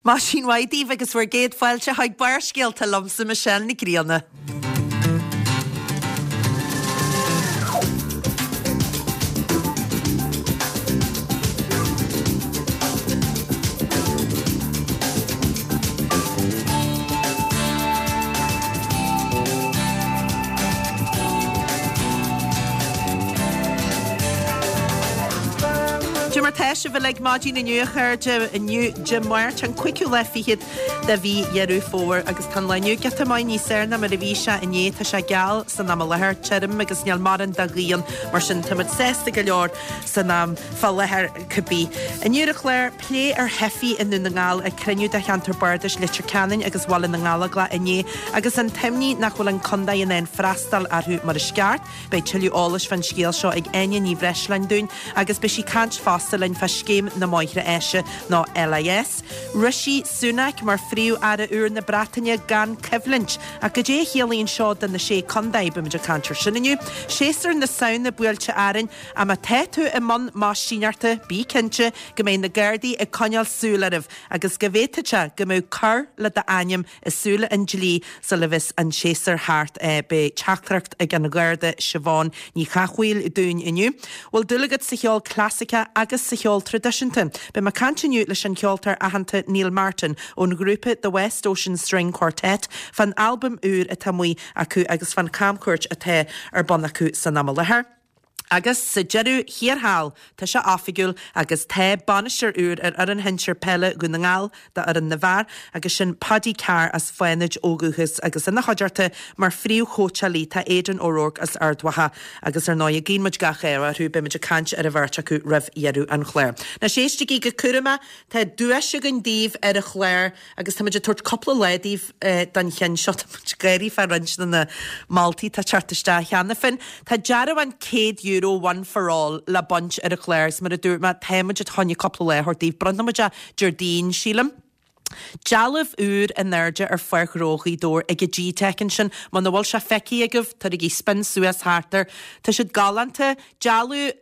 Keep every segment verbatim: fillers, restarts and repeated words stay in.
Maidin mhaith daoibh agus bhur gcéad fáilte chuig Barrscéalta liomsa Michelle Nic Grianna. Cad é mar tá sibh uilig maidin inniu a chairde, inniu Dé Máirt an cúigiú lá fichead de mhí Dheireadh Fómhair agus tá an lá inniu giota maith níos fearr ná mar a bhí sé inné. Tá sé geal san am i láthair, tirim agus níl mórán de ghaoth ann, mar sin táimid sásta go leor san am fá láthair cibé. Inniu ar an chlár, plé ar theifigh i nDún na nGall ag cruinniú de cheantar bardais Leitir Ceanainn agus Bhaile na nGallóglach inné agus an t-imní nach bhfuil an contae in ann freastal orthu mar is ceart. Beidh tuilleadh eolais fán scéal seo ag Áine Ní Bhreisleáin dúinn agus beidh sí ag caint fosta linn fá Scéim na Máithre Áise nó LIS. Rishi Sunak mar Phríomh-Aire úr na Breataine gan coimhlint. Ach cad é a chiallaíonn seo do na Sé Contae? Beimid ag caint ar sin inniu. Séasúr na Samhna buailte orainn ach má tá tú i mbun maistíneachta, bí cinnte go mbeidh na Gardaí ag coinneáil súil oraibh agus go bhféadfadh sé go mbeadh cor le d'ainm i súile an dlí sula bheas an séasúr thart. Beidh teachtaireacht ag an Gharda Siobhán Ní Chathmhaoil dúinn inniu. Bhfuil dúil agat sa cheol clasaiceach agus sa cheol traidisiúnta? Beidh mé ag caint inniu leis an cheoltóir aitheanta Neil Martin ón ghrúpa The West Ocean String Quartet fán albam úr atá amuigh acu agus fán chamchuairt atá ar bun acu san am i láthair. Agus sa deireadh thiar thall, tá sé oifigiúil agus tá bainisteoir úr ar fhoireann shinsir peile Dhún na nGall d'fhoireann na bhfear agus sin Paddy Carr as Fánaid ó dhúchas agus ina chuideachta mar phríomhchóitseálaí tá Aidan O'Rourke as Ard Mhacha agus ar ndóigh guíonn muid gach ádh orthu, beidh muid ag caint ar an bheirt acu roimh dheireadh an chláir. Anois éistigí go cúramach, tá duais againn daoibh ar an chlár agus tá muid ag tabhairt cúpla lá daoibh don cheann seo, tá muid ag gáirí fá roinnt de na moltaí atá ag teacht isteach cheana féin. Tá dearbhán céad euro One for All le baint ar an chlár agus mar a dúirt mé, tá muid chun cúpla lá a thabhairt daoibh. Bronnfaidh muid é Déardaoin, sílim. Dealbh úr in airde ar Pháirc Ghnó Ghaoth Dobhair ag an G-Tech ansin. Muna bhfuil sé feicthe agaibh, tabhairigí spin suas thart air. Tá siad galánta. Dealbh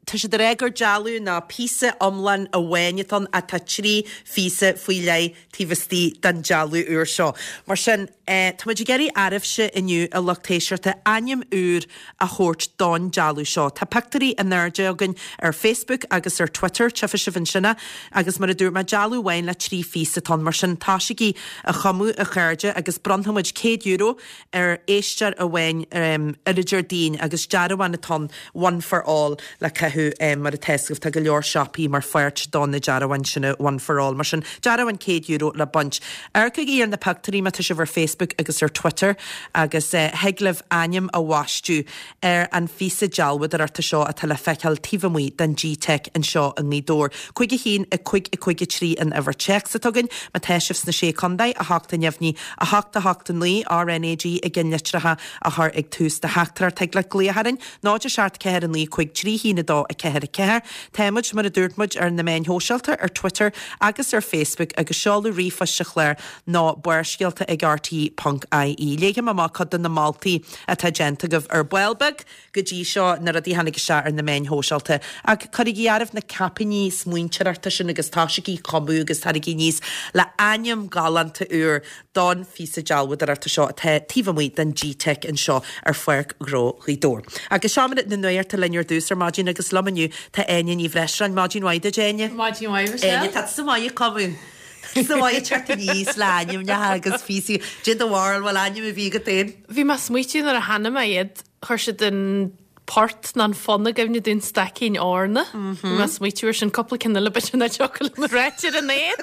Tá siad ag rá gur dealbh ná píosa iomlán amháin atá ann ach tá trí phíosa faoi leith taobh istigh den dealbh úr seo. Mar sin, tá muid ag iarraidh oraibhse inniu, a lucht éisteachta, ainm úr a thabhairt don dealbh seo. Tá pictiúirí in airde againn ar Facebook agus ar Twitter, tchífidh sibh ansin é, agus mar a dúirt mé, dealbh amháin le trí phíosa atá ann. Mar sin, tosaígí a chumadh, a chairde, agus bronnfaidh muid céad euro ar éisteoir amháin ar an Déardaoin agus dearbhán atá ann, One for All, le caitheamh mar atá a fhios agaibh tá go leor siopaí mar pháirt do na dearbháin sin One for All. Mar sin, dearbhán céad euro le baint. Amharcaigí ar na pictiúirí má tá sibh ar Facebook agus ar Twitter agus thig libh ainm a bhaisteadh ar an phíosa dealbhadóireachta seo atá le feiceáil taobh amuigh den G-Tech anseo i nGaoth Dobhair. Cúig a haon, a cúig, a cúig a trí an uimhir téacs atá againn. Má tá sibh sna Sé Contae, a hocht a neamhní, a hocht a hocht a naoi, RnaG i gceannlitreacha a chur ag tús do theachtaireacht. Thig leat glaoch orainn, náid a seacht ceathair a naoi cúig trí haon a dó a ceathair a ceathair. Tá muid, mar a dúirt muid, ar na meáin shóisialta, ar Twitter agus ar Facebook agus seoladh ríomhphoist an chláir ná barrscéalta ag rte ponc ie. Léifidh mé amach cuid de na moltaí atá déanta agaibh ar ball beag go dtí seo, na rudaí a tháinig isteach ar na meáin shóisialta. Ach cuirigí oraibh na caipíní smaointeoireachta sin agus tosaígí ag cumadh agus taraigí aníos le ainm galánta úr don phíosa dealbhadóireachta seo atá taobh amuigh den G-Tech anseo ar Pháirc Ghnó Ghaoth Dobhair. Agus seomra na nuachta linn ar dtús ar maidin agus liom inniu tá Áine Ní Bhreisleáin. Maidin mhaith duit, Áine. Maidin mhaith, Michelle. Áine, tá tusa maith ag cumadh. Tá tusa maith ag teacht aníos le ainmneacha agus píosaí. Cad é do bharúil, bhfuil ainm ar bith agat féin? Bhí mé ag smaoitiú nuair a chonaic mé iad, chuir siad an port ná an fonn i gcuimhne domh, An Staicín Eorna. Bhí mé ag smaoitiú ar sin cúpla ceann eile b'fhéidir nach dtiocfadh liom a ráit ar an aer.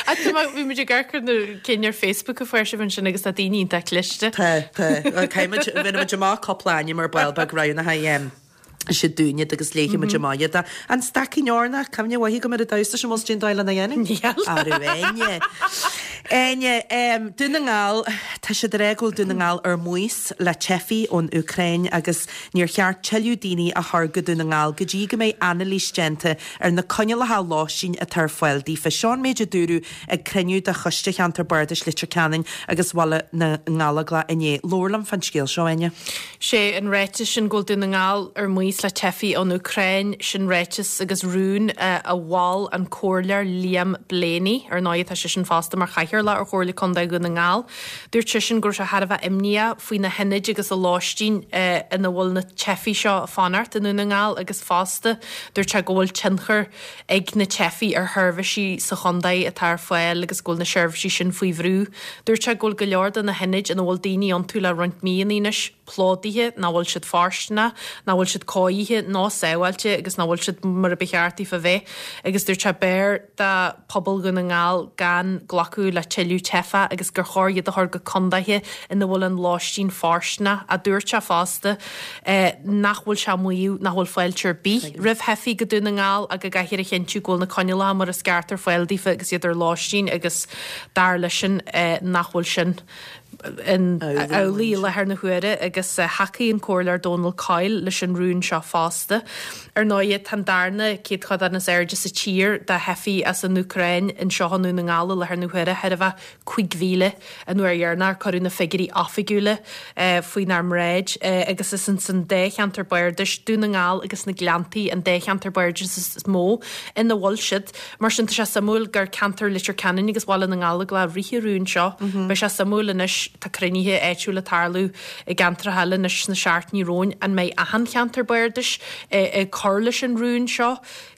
Ach tá mé, bhí muid ag amharc ar na cinn ar Facebook a fuair sibh ansin agus tá daoine iontach cliste. Tá, tá. Caithfidh muid, bhéarfaidh muid amach cúpla ainm ar ball beag roghnaithe siad dúinn iad agus léifidh muid amach iad. An Staicín Eorna, cuimhne mhaith agam ar an damhsa sin, bhfuil cén dóigh lena dhéanamh? Níl. Arú Áine. Áine, Dún na nGall, Tá siad ag rá go bhfuil Dún na nGall ar maos le teifigh ón Úcráin agus níor cheart tuilleadh daoine a chur go Dún na nGall go dtí go mbeidh anailís déanta ar na coinníollacha lóistín atá ar fáil daofa. Seo an méid a dúradh ag cruinniú de Choiste Cheantar Bardais Leitir Ceanainn agus Bhaile na nGallóglach inné. Labhair liom fán scéal seo, Áine. Sé an ráiteas sin go bhfuil Dún na nGall ar maos le teifigh ón Úcráin, sin ráiteas agus rún a mhol an Comhairleoir Liam Blaney. Ar ndóigh tá seisean fosta mar chathaoirleach ar Chomhairle Contae Dhún na nGall. Dúirt seisean go raibh sé thar a bheith imníoch faoi na hionaid agus a lóistín ina bhfuil na teifigh seo ag fanacht i nDún na nGall agus fosta dúirt sé go bhfuil tionchar ag na teifigh ar sheirbhísí sa chontae atá ar fáil agus go bhfuil na seirbhísí sin faoi bhrú. Dúirt sé go bhfuil go leor de na hionaid ina bhfuil daoine iontu le roinnt míonna anois plódaithe, nach bhfuil siad fóirsteanach, nach bhfuil siad cóirithe ná sábháilte agus nach bhfuil siad mar a ba cheart daofa bheith. Agus dúirt sé b'fhearr do phobal Dhún na nGall gan glacadh le tuilleadh teifeach agus gur chóir iad a chur go contaetha ina bhfuil an lóistín fóirsteanach. A dúirt sé fosta nach bhfuil sé ag maíomh nach bhfuil fáilte ar bith roimh theifigh go Dún na nGall ach go gcaithfear a chinntiú go bhfuil na coinníollacha mar is ceart ar fáil daofa agus iad ar lóistín agus dar leisean nach bhfuil sin in amhlaidh i láthair na huaire agus thacaigh an Comhairleoir Dónal Coyle leis an rún seo fosta. Ar ndóigh, tá an darna céatadán is airde sa tír de theifigh as an Úcráin anseo i nDún na nGall i láthair na huaire, chóir a bheith cúig mhíle an uair dheireanach ar cuireadh na figiúirí oifigiúla faoinár mbráid agus is ins an dá cheantar bardais, Dún na nGall agus na Gleanntaí, an dá cheantar bardais is mó ina bhfuil siad. Mar sin tá sé suimiúil gur ceantar Leitir Ceanainn agus Bhaile na nGallóglach a rith an rún seo. Beidh sé suimiúil anois, tá cruinnithe áitiúla ag tarlú i gceantracha eile anois sna seachtainí romhainn, an mbeidh achan cheantar bardais ag cur leis an rún seo?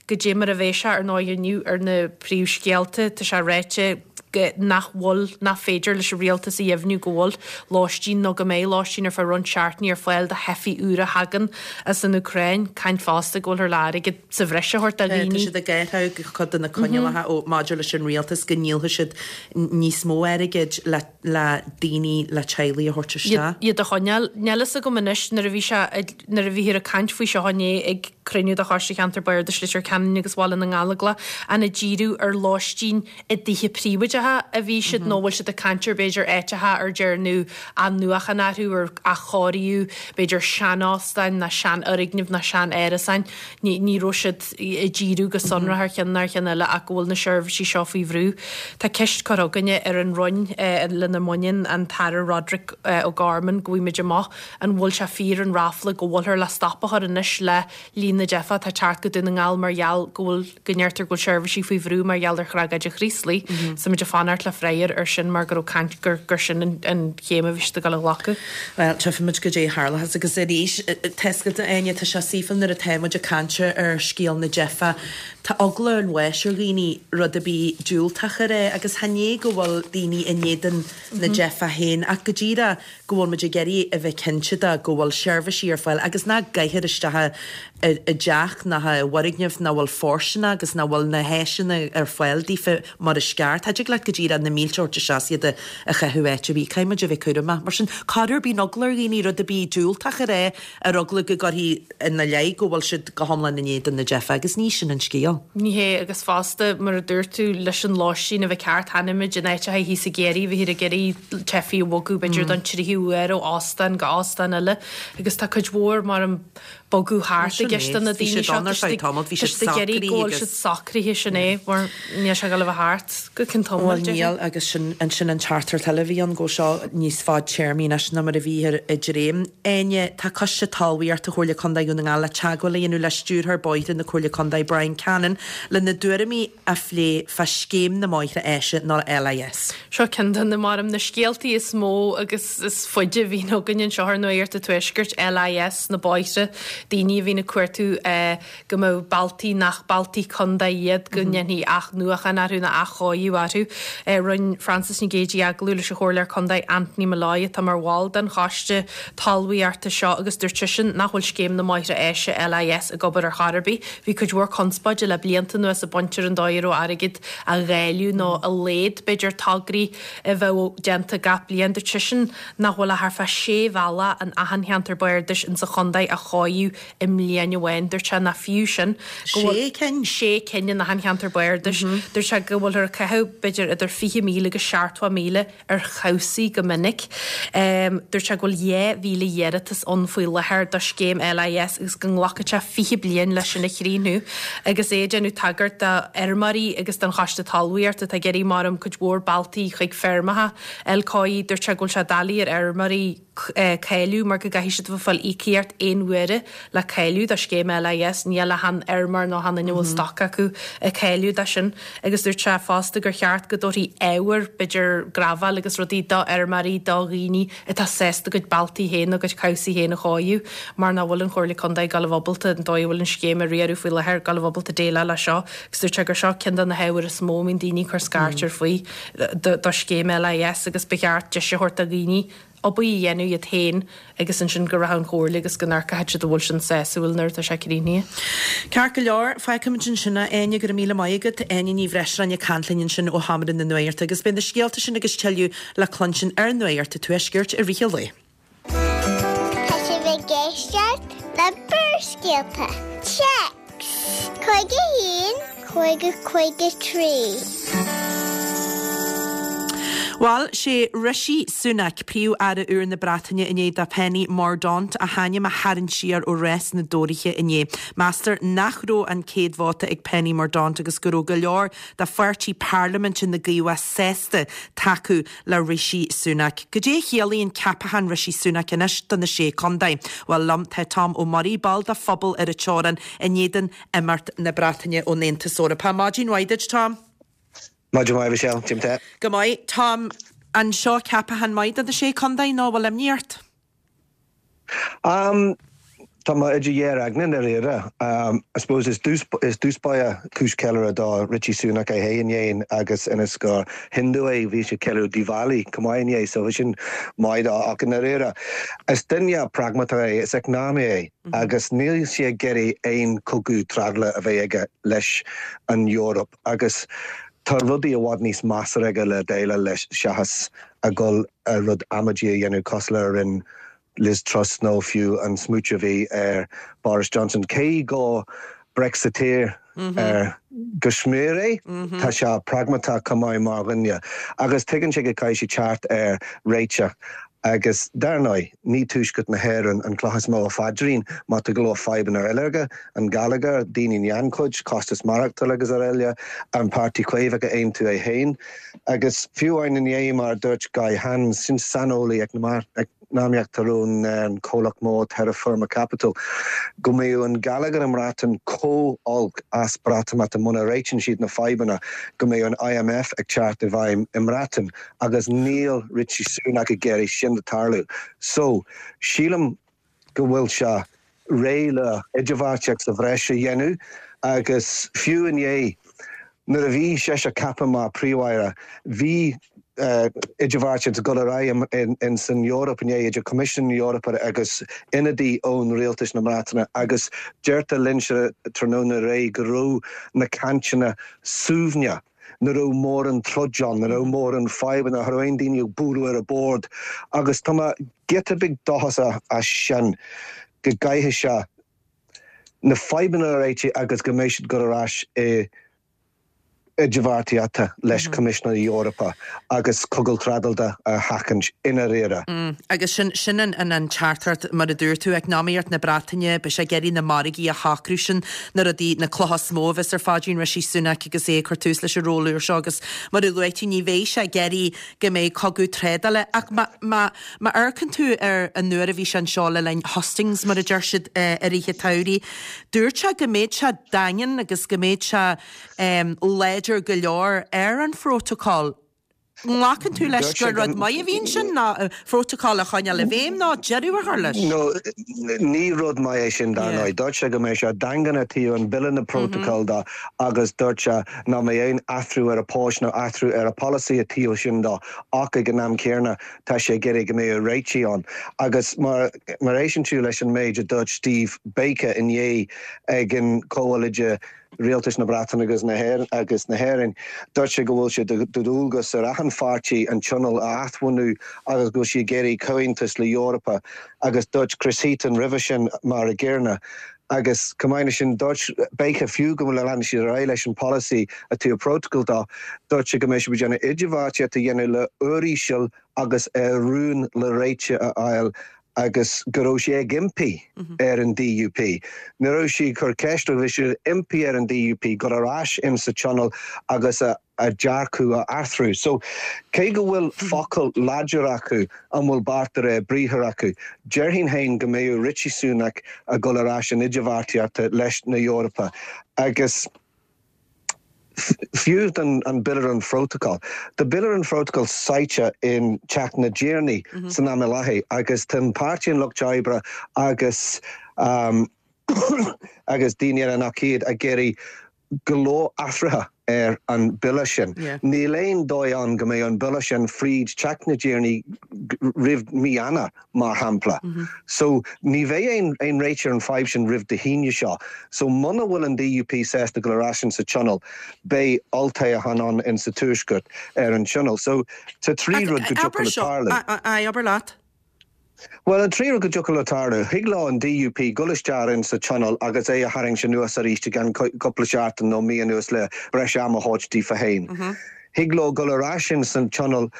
Goidé mar a bheidh sé ar ndóigh inniu ar na príomhscéalta, tá sé ráite go nach bhfuil, nach féidir leis an rialtas a dheimhniú go bhfuil lóistín nó go mbeidh lóistín ar feadh roinnt seachtainí ar fáil do theifigh úra a thagann as an Úcráin. Caint fosta go bhfuilthear le airgead sa bhreis a thabhairt do Tá dhaoine. siad ag athrú cuid de na coinníollacha ó maidir leis an rialtas go ndíolfaidh siad níos mó airgid le le daoine le teaghlaigh a thabhairt isteach. Iad a choinneáil. Níl fhios agam anois nuair a bhí sé nuair a bhíthear ag caint faoi seo inné ag cruinniú de Choiste Cheantar Bardais Leitir Ceanainn agus Bhaile na nGallóglach, an ag díriú ar lóistín i dtithe príobháideacha a bhí siad nó bhfuil siad ag caint ar b'fhéidir áiteacha ar dearnadh athnuachan orthu ar athchóiriú b'fhéidir seanóstáin ná seanfhoirgnimh ná sean-árasáin. Ní ní raibh siad ag díriú go sonrach ar cheann ná ar cheann eile ach go bhfuil na seirbhísí seo faoi bhrú. Tá ceist curtha againne ar an Roinn lena mbaineann, an tAire Roderick O'Gorman, go bhfaighimid amach an bhfuil sé fíor an ráfla go bhfuilthear le stop a chur anois le líon na dteifeach atá ag teacht go Dún na nGall mar gheall go bhfuil, go ndeirtear go bhfuil seirbhísí faoi bhrú mar gheall ar thragóid an Chraoslaigh. So muid ag fanacht le freagra ar sin mar go raibh caint gur gur sin an an chéim a bhí siad ag dul a ghlacadh. Bhuel, tchífimid goidé a tharlóchas agus arís, tá 'fhios agat, a Áine, tá sé saoithiúil nuair atá muid ag caint ar scéal na dteifeach, tá eagla an bháis ar dhaoine rud ar bith diúltach a rá agus chan é go bhfuil daoine in éadan na dteifeach féin ach go díreach go bhfuil muid ag iarraidh a bheith cinnte de go bhfuil seirbhísí ar fáil agus nach gcaithfear isteach i dteach ná i bhfoirgneamh nach bhfuil fóirsteanach agus nach bhfuil na háiseanna ar fáil daofa mar is ceart. Cha dtig leat go díreach na mílte a thabhairt isteach is iad a chaitheamh áit ar bith. Caithfidh muid a bheith cúramach. Mar sin, corruair bíonn eagla ar dhaoine rud ar bith diúltach a rá ar eagla go gcuirfí ina leith go bhfuil siad go hiomlán in éadan na dteifeach agus ní sin an scéal. Ní hé, agus fosta, mar a dúirt tú, leis an lóistín a bheith ceart, chonaic muid in áiteacha thíos i gCiarraí, bhíthear ag iarraidh teifigh a bhogadh b'fhéidir don tríú huair ó óstán go óstán eile agus tá cuid mhór mar an bogadh thart i gceist do na Bhí daoine siad seo. ann ar feadh tamaill, bhí siad Tá siad ag iarraidh go bhfuil socraithe siad socraithe sin é mar níl sé ag dul a bheith thart go ceann tamaill, Bhuel déarfainn. níl agus sin ansin an teachtaireacht eile a bhí ann go bhfuil seo níos fadtéarmaí anois ná mar a bhíthear ag dréim. Áine, tá Coiste Talmhaíochta Chomhairle Contae Dhún na nGall le teagmháil a dhéanamh le Stiúrthóir Bóithre na Comhairle Contae Brian Cannon lena dtuairimí a phlé fá Scéim na mBóithre Áise nó LIS. Seo ceann de na maram na scéaltaí is mó agus is faide a bhíonn againn anseo ar Nuacht an Tuaiscirt, LIS, na bóithre, daoine a bhíonn ag cuartú go mbeadh bealtaí nach bealtaí contae iad go ndéanfaí athnuachan orthu nó athchóiriú orthu. Rinne Frances Nic Géadaigh agallamh leis an Chomhairleoir Contae Anthony Molloy atá mar bhall den choiste talmhaíochta seo agus dúirt seisean nach bhfuil scéim na mbóithre áise, LIS, ag obair ar chor ar bith. Bhí cuid mhór conspóide le blianta anuas ag baint ar an dóigh a raibh airgead á dháileadh nó a laghad b'fhéidir tograí a bheadh déanta gach bliain. Dúirt seisean nach bhfuil ach thart fá sé bhealach in achan cheantar bardais insa chontae a chóiríodh chóiriú i mbliain amháin. Dúirt sé nach fiú sin. Sé cinn? Sé cinn in achan cheantar bardais. Dúirt sé go bhfuiltear ag caitheamh b'fhéidir idir fiche míle agus seachtó míle ar chabhsaí go minic. Dúirt sé go bhfuil dhá mhíle iarratas ann faoi láthair do scéim L I S agus go nglacfaidh sé fiche bliain leis sin a chríochnú. Agus é ag déanamh tagairt do fheirmeoirí agus don Choiste Talmhaíochta atá ag iarraidh mar cuid mhór bealtaí chuig feirmeacha L C I, dúirt sé go bhfuil sé doiligh ar fheirmeoirí cáiliú mar go gcaithfidh siad a bheith ag fáil íocaíocht aon uaire le cáiliú do scéim L I S. Níl achan fheirmeoir nó achan duine a bhfuil stoc acu ag cáiliú dó sin. Agus dúirt sé fosta gur cheart go dtabharfaí ábhar, b'fhéidir graibheal agus rudaí, do fheirmeoirí, do dhaoine atá sásta a gcuid bealtaí féin, a gcuid cabhsaí féin a chóiriú, mar nach bhfuil an Chomhairle Contae ag gabháil a bheith ábalta, an dóigh a bhfuil an scéim á riaradh faoi láthair, gabháil a bheith ábalta déileáil leis seo. Agus dúirt sé gur seo ceann de na hábhair is mó a mbíonn daoine ag cur scairt air faoi do scéim L I S agus ba cheart deis a thabhairt do dhaoine obair a dhéanamh iad féin agus ansin go rachadh an Chomhairle agus go n-amharcfadh siad an bhfuil sin sásúil nuair atá sé críochnaithe. Ceart go leor, fágfaimid ansin é. Áine, go raibh míle maith agat. Áine Ní Bhreisleáin ag caint linn ansin ó Sheomra na Nuachta agus beidh na scéalta sin agus tuilleadh le cluinstin ar Nuacht an Tuaiscirt i rith an lae. Tá sibh ag éisteacht le Barrscéalta. Téacs Cúig a haon cúig cúig a trí. Bhuel, sé Rishi Sunak, Príomh-Aire úr na Breataine, i ndiaidh do Penny Mordaunt a hainm a tharraingt siar ó rás na dTóraithe inné. Meastar nach raibh an céad vóta ag Penny Mordaunt agus go raibh go leor de pháirtí parlaiminte na gCaomhach sásta tacú le Rishi Sunak. Goidé a chiallaíonn ceapachán Rishi Sunak anois do na sé contae? Bhuel, liom tá Tom Ó Muirí, ball de phobal ar an teorainn in éadan imeacht na Breataine ón Aontas Eorpach. Maidin mhaith duit, Tom. Maidin mhaith, Michelle. Jim te. Go maith. Tom, an seo ceapachán maith do na sé contae nó bhfuil imní ort? Um, Tá mé idir dhá aigne i ndáiríre. Um, I suppose is dús is dúspaia cúis ceiliúradh do Rishi Sunak é féin dhéin agus ionas gur Hindu é, bhí sé ceiliúradh Diwali chomh maith inné, so bhí sin maith dó, ach i ndáiríre is duine pragmatach é, is eacnamaí é agus níl sé ag iarraidh aon chogadh trádála a bheith aige leis an Eoraip agus tá rudaí i bhfad níos measa aige le déileáil leis seachas a dhul a rud amaidí a dhéanamh cosúil le rinne Liz Truss nó fiú an smooch a bhí ar Boris Johnson. Cé go Brexiteer ar go smior é, tá sé pragmatach chomh maith mar dhuine agus tuigeann sé go gcaithfidh sé teacht ar réiteach. Agus dar ndóigh, ní tuaisceart na hÉireann an cloch is mó a phaidrín má tá go leor fadhbanna eile aige, an geilleagar, daoine in gannchuid, costas maireachtála agus araile, an Páirtí Caomhach a aontú é féin. Agus fiú amháin inné, mar a dúirt Guy Hands, sin saineolaí eacnamaíochta ón an comhlacht mór Terra Firma Capital, go mbeidh an geilleagar i mBreatain chomh holc as Breatimeacht muna réitíonn siad na fadhbanna, go mbeidh an I M F ag teacht i bhfeidhm i mBreatain agus níl Rishi Sunak ag iarraidh sin a tarlú. So sílim go bhfuil sé réidh le idirbheartaíocht sa bhreis a dhéanamh agus fiú inné nuair a bhí sé sé ceaptha mar príomh-aire, bhí uh, idirbheartaíocht go ar aghaidh in san Eoraip inné idir Coimisiún na hEorpa agus ionadaí ón rialtas na Breataine agus deirtear linnse tráthnóna aréir go raibh na cainteanna suaimhneach, nach raibh mórán troid ann, nach raibh mórán fadhbanna, nach raibh aon daoine ag bualadh ar an bord agus tá mé giota beag dóchasach as sin go gcaithfidh sé na fadhbanna a réiteach agus go mbeidh siad go ar ais i idirbheartaíochta leis Coimisiún na hEorpa agus cogadh trádála a sheachaint i ndáiríre. Mm, agus sin sin an an an teachtaireacht, mar a dúirt tú, eacnamaíocht na Breataine, beidh sé ag iarraidh na margaí a shocrú, sin na rudaí, na clocha is mó a bheas ar phaidrín Rishi Sunak agus é ag cur tús leis an ról úr seo agus mar a luaigh tú, ní bheidh sé ag iarraidh go mbeidh cogadh trádála. Ach má má má amharcann tú ar an uair a bhí sé anseo le linn hustings, mar a deir siad, eh, i rith an tsamhraidh, dúirt sé go mbeadh sé daingean agus go mbeadh sé um, láidir go leor ar an phrótacal. Glacann tú leis Dúirt sé gur rud go- maith a bhíonn sin ná prótacal a choinneáil i bhfeidhm ná deireadh a chur leis? No, ní rud maith é sin Yeah. dar ndóigh. Dúirt sé go mbeidh sé daingean i dtaobh an bille na protocol de agus dúirt sé nach mbeidh aon athrú ar a post nó athrú ar a policy i dtaobh sin de, ach ag an am céanna tá sé ag iarraidh go mbeidh réitigh ann. Agus mar mar éisteann tú leis an méid a dúirt Steve Baker inné ag an comhluide rialtais na Breataine agus na hÉireann agus na hÉireann, dúirt sé go bhfuil sé de dualgas ar achan pháirtí an tionól a athbhunú agus go bhfuil sí ag iarraidh comhaontas le Eorpa agus dúirt Chris Heaton roimhe sin mar a gcéanna agus chomh maith leis sin dúirt b'fhéidir fiú go bhfuil leanann siad ar aghaidh leis an polasaí a tú protocol dá dúirt sé go mbeidh siad déanamh idirbheartaíocht a dhéanamh le uiríseal agus ar rún le réiteach a fháil agus go raibh sé ag impí ar an D U P. Ní raibh sí ag cur ceist, bhí sé impí ar an D U P go ar ais in sa tionól agus a a dearcadh a athrú. So cé go bhfuil focal láidir acu, an bhfuil beart de réir briathar acu? Déarfainn féin go mbeidh Rishi Sunak a gul ar ais an idirbheartaíochta leis na Eorpa agus fiú an, an Bille an Phrotocol. Tá Bille an Phrotocol suite in Teach na dTiarnaí mm -hmm. san am i láthair agus tá Páirtí an Lucht Oibre agus um, agus daoine eile nach iad ag iarraidh go leor athruithe ar an bille sin. Yeah. Níl aon dóigh ann go mbeidh an bille sin fríd Teach na dTiarnaí roimh mí Eanáir mar shampla. Mm -hmm. So ní bheidh aon aon réiteach ar an fadhb sin roimh Dé hAoine seo. So muna bhfuil an D U P sásta go ar ais sa tionól, beidh olltoghchán ann in sa tuaisceart ar an tionól. So tá trí rud go dtiocfadh le tarlú. Abair leat. Well, an trí rud go dtiocfadh le tarlú, thig leo an D U P gul isteach in sa tionól agus é a tharraingt anuas arís gan cúpla seachtain nó mí anuas le breis ama a thabhairt daofa féin. Mm -hmm. Thig leo gul ar ais san tionól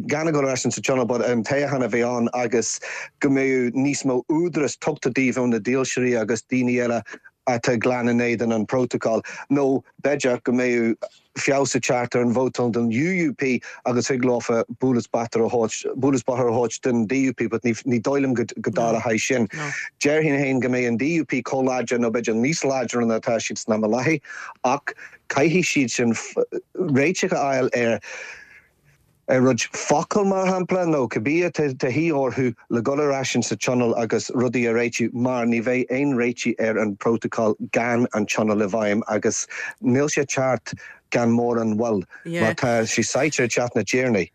gan gul ar ais sa tionól but an toghchán a bheith ann agus go mbeidh níos mó údaras tugtha díobh na dílseoirí agus daoine eile atá glan in éadan an protocol nó b'fhéidir go mbeidh feabhas ag teacht ar an vótáil don U U P agus thig leofa bualadh bos bóthair a thabhairt don D U P, but ní ní dóigh liom go dtarlóidh sin. Déarfainn féin go mbeidh an D U P chomh láidir nó b'fhéidir níos láidre ná atá siad san am i láthair ach caithfidh siad sin réiteach a fháil ar ar rud focal mar shampla nó cibé de dhíth orthu le gul ar ais sa tionól agus rudaí a réitiú mar ní bheidh aon réiteach ar an protocol gan an tionól i bhfeidhm agus níl sé ceart gan mórán moill mar tá sé suite i Teach na dTiarnaí.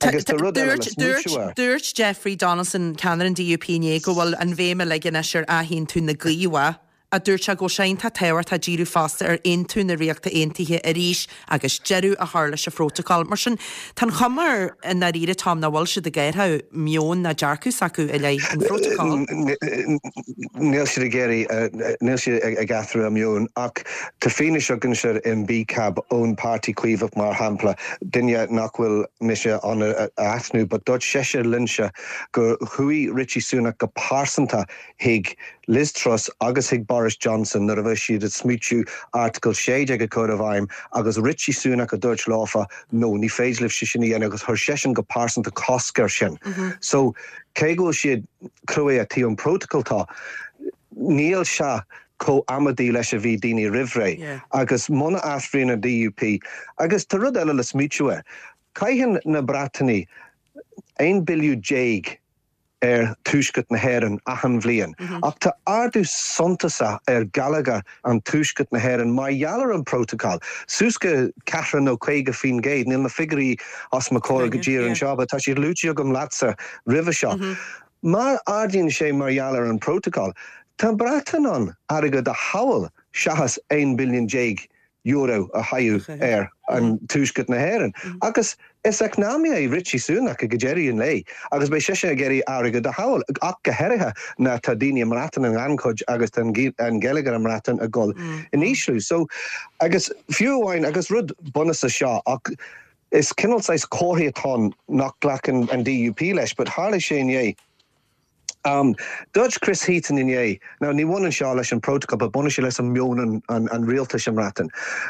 Agus tá rud eile le smaointiú air. Dúirt Jeffrey Donaldson, ceannaire an D U P inné go bhfuil an bhéim uilig anois ar athaontú na Gaoithe a dúirt sé go sé iontach tábhachtach díriú fosta ar aontú na Ríochta Aontaithe arís agus deireadh a chur leis an phrotocol. Mar sin tá an chuma i ndáiríre, Tom, nach bhfuil siad ag athrú meon ná dearcadh s'acu i leith an phrotocol. Níl siad ag iarraidh níl siad ag athrú a meon ach tá fianaise againn in B CAB ón Páirtí Caomhach mar shampla duine nach bhfuil mise an a aithniú, but dúirt seisean liomsa gur chuaigh Rishi Sunak go pearsanta chuig Liz Truss agus chuig Boris Johnson nuair a bhí siad ag smaointiú Article sé déag a chur i bhfeidhm agus Rishi Sunak a dúirt leofa no ní féidir libh sé sin a dhéanamh agus chuir seisean go pearsanta cosc air sin. Mm -hmm. So cé go bhfuil siad crua taobh an protocol tá níl sé chomh amaideach leis a bhí daoine roimh ré Yeah. agus muna athraíonn an D U P agus tá rud eile le smaointiú air. Caitheann na Breatanaigh aon billiún déag ar tuaisceart na hÉireann achan bhliain. Mm -hmm. Ach tá ardú suntasach ar gheilleagar an tuaisceart na hÉireann mar gheall ar an protocol. Suas go ceathracha nó caoga faoin gcéad, níl na figiúirí os mo chomhair go díreach anseo, but tá siad luaite agam leatsa roimhe seo. Mm -hmm. Má ardaíonn sé mar gheall ar an protocol, tá Breatain an airgead a shábháil seachas aon billiún déag euro a chaitheamh ar an tuaisceart na hÉireann. Agus is eacnamaí é Rishi Sunak go deireadh an lae, agus beidh sé ag iarraidh airgead a shábháil ach go háirithe na tá daoine i mBreatain in gannchuid agus an geilleagar i mBreatain ag dul in ísliú. So agus fiú amháin agus rud bunúsach seo ach is cineál saghas comhartha atá nach nglacann an D U P leis, but tharla sé inné. Um, Dúirt Chris Heaton inné, now ní bhaineann seo leis an protocol, but baineann sé leis an meon an, an, an rialtais i mBreatain.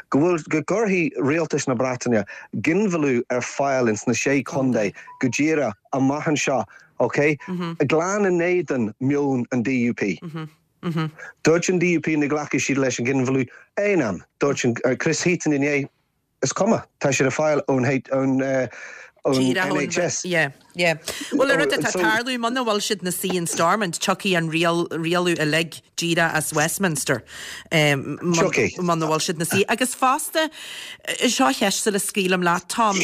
Go bhfuil go gcuirfidh rialtas na Breataine ginmhilleadh ar fáil ins na sé chontae go díreach amach anseo, okay? Mm -hmm. Glan in éadan meon an D U P. Mm -hmm. Mm -hmm. Dúirt an D U P nach nglacfaidh siad leis an ginmhilleadh aon am. Dúirt an uh, Chris Heaton inné is cuma, tá sé ar fáil ón ón uh, ón N H S. Yeah, yeah. Well ar rud atá tarlú muna bhfuil siad ina suí in Stormont tiocfaidh an riail rialú uilig díreach as Westminster. Um, muna bhfuil siad ina suí. Agus fosta seo ceist le scaoilim leat Tom,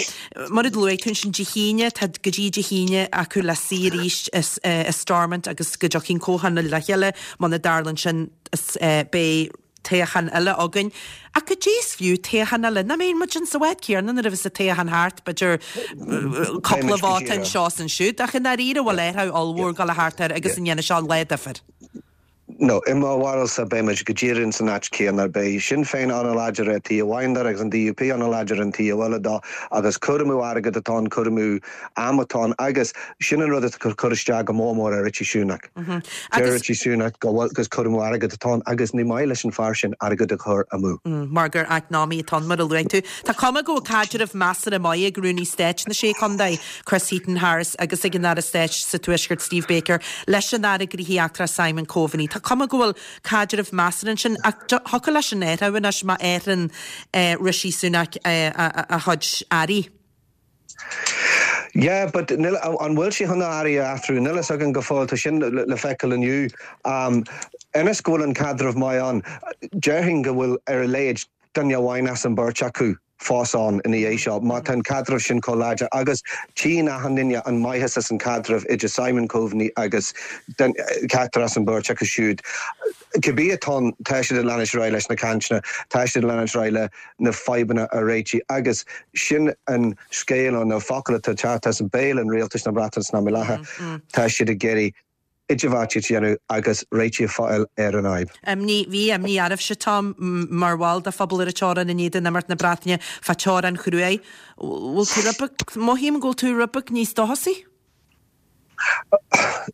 mar a luaigh tú sin Dé hAoine tá go dtí Dé hAoine acu le suí arís i Stormont agus go dtiocfaidh comhthionól le chéile muna dtarlaíonn sin beidh toghchán eile againn. Ach cad é is fiú toghchán eile? Nach mbeidh muid insa áit céanna nuair a bheas an toghchán thart, b'fhéidir cúpla vóta anseo is ansiúd, ach i ndáiríre bhfuil athrú ollmhór ag dul a theacht air agus an ndéanfaidh seo an lá difir. No, i mo bharúilsa beimid go díreach ins an áit céanna. Beidh Sinn Féin an-láidir ar taobh amháin de agus an D U P an-láidir ar an taobh eile de agus cur amú airgead atá ann, cur amú am atá ann agus sin an rud atá ag cur isteach go mór mór ar Richie Sunak. Deir Richie Sunak go bhfuil gus cur amú airgead atá ann agus ní maith leis an fear sin airgead a chur amú. Mar gur eacnamaí atá ann, mar a luaigh tú. Tá cuma go bhfuil caidreamh measartha maith ag Rúnaí Stáit na Sé Chontae, Chris Heaton-Harris, agus ag an Aire Stáit sa Tuaisceart, Steve Baker, leis an Aire Gnóthaí Eachtracha Simon Coveney. Tá cuma go bhfuil caidreamh measartha ansin ach thiocfadh leis sin athrú anois má athraíonn Rishi Sunak a chuid airí. Yeah, but níl, an bhfuil sé chun na airí a athrú? Níl a fhios againn go fóill, tá sin le feiceáil inniu. Um, ionas go bhfuil an caidreamh maith ann, déarfainn go bhfuil ar a laghad duine amháin as an beirt acu fós ann ina dhiaidh seo, má tá an caidreamh sin chomh láidir agus tchíonn achan duine an maitheas as an caidreamh idir Simon Coveney agus ceachtar as an beirt acu siúd. Cibé atá ann, tá siad ag leanúint ar aghaidh leis na cainteanna, tá siad ag leanúint ar aghaidh le na fadhbanna a réitigh agus sin an scéal nó na focail atá ag teacht as béal an rialtais na Breataine san am i láthair, tá siad ag iarraidh idirbheartaíocht a dhéanamh agus réitigh a fháil ar an fhadhb. Imní, bhí imní oraibhse, Tom, mar bhall de phobal ar an teorainn i ndiaidh d'imeacht na Breataine fá teorainn chruaidh. Bhfuil tú rud beag, mothaím go bhfuil tú rud beag níos dóchasaí?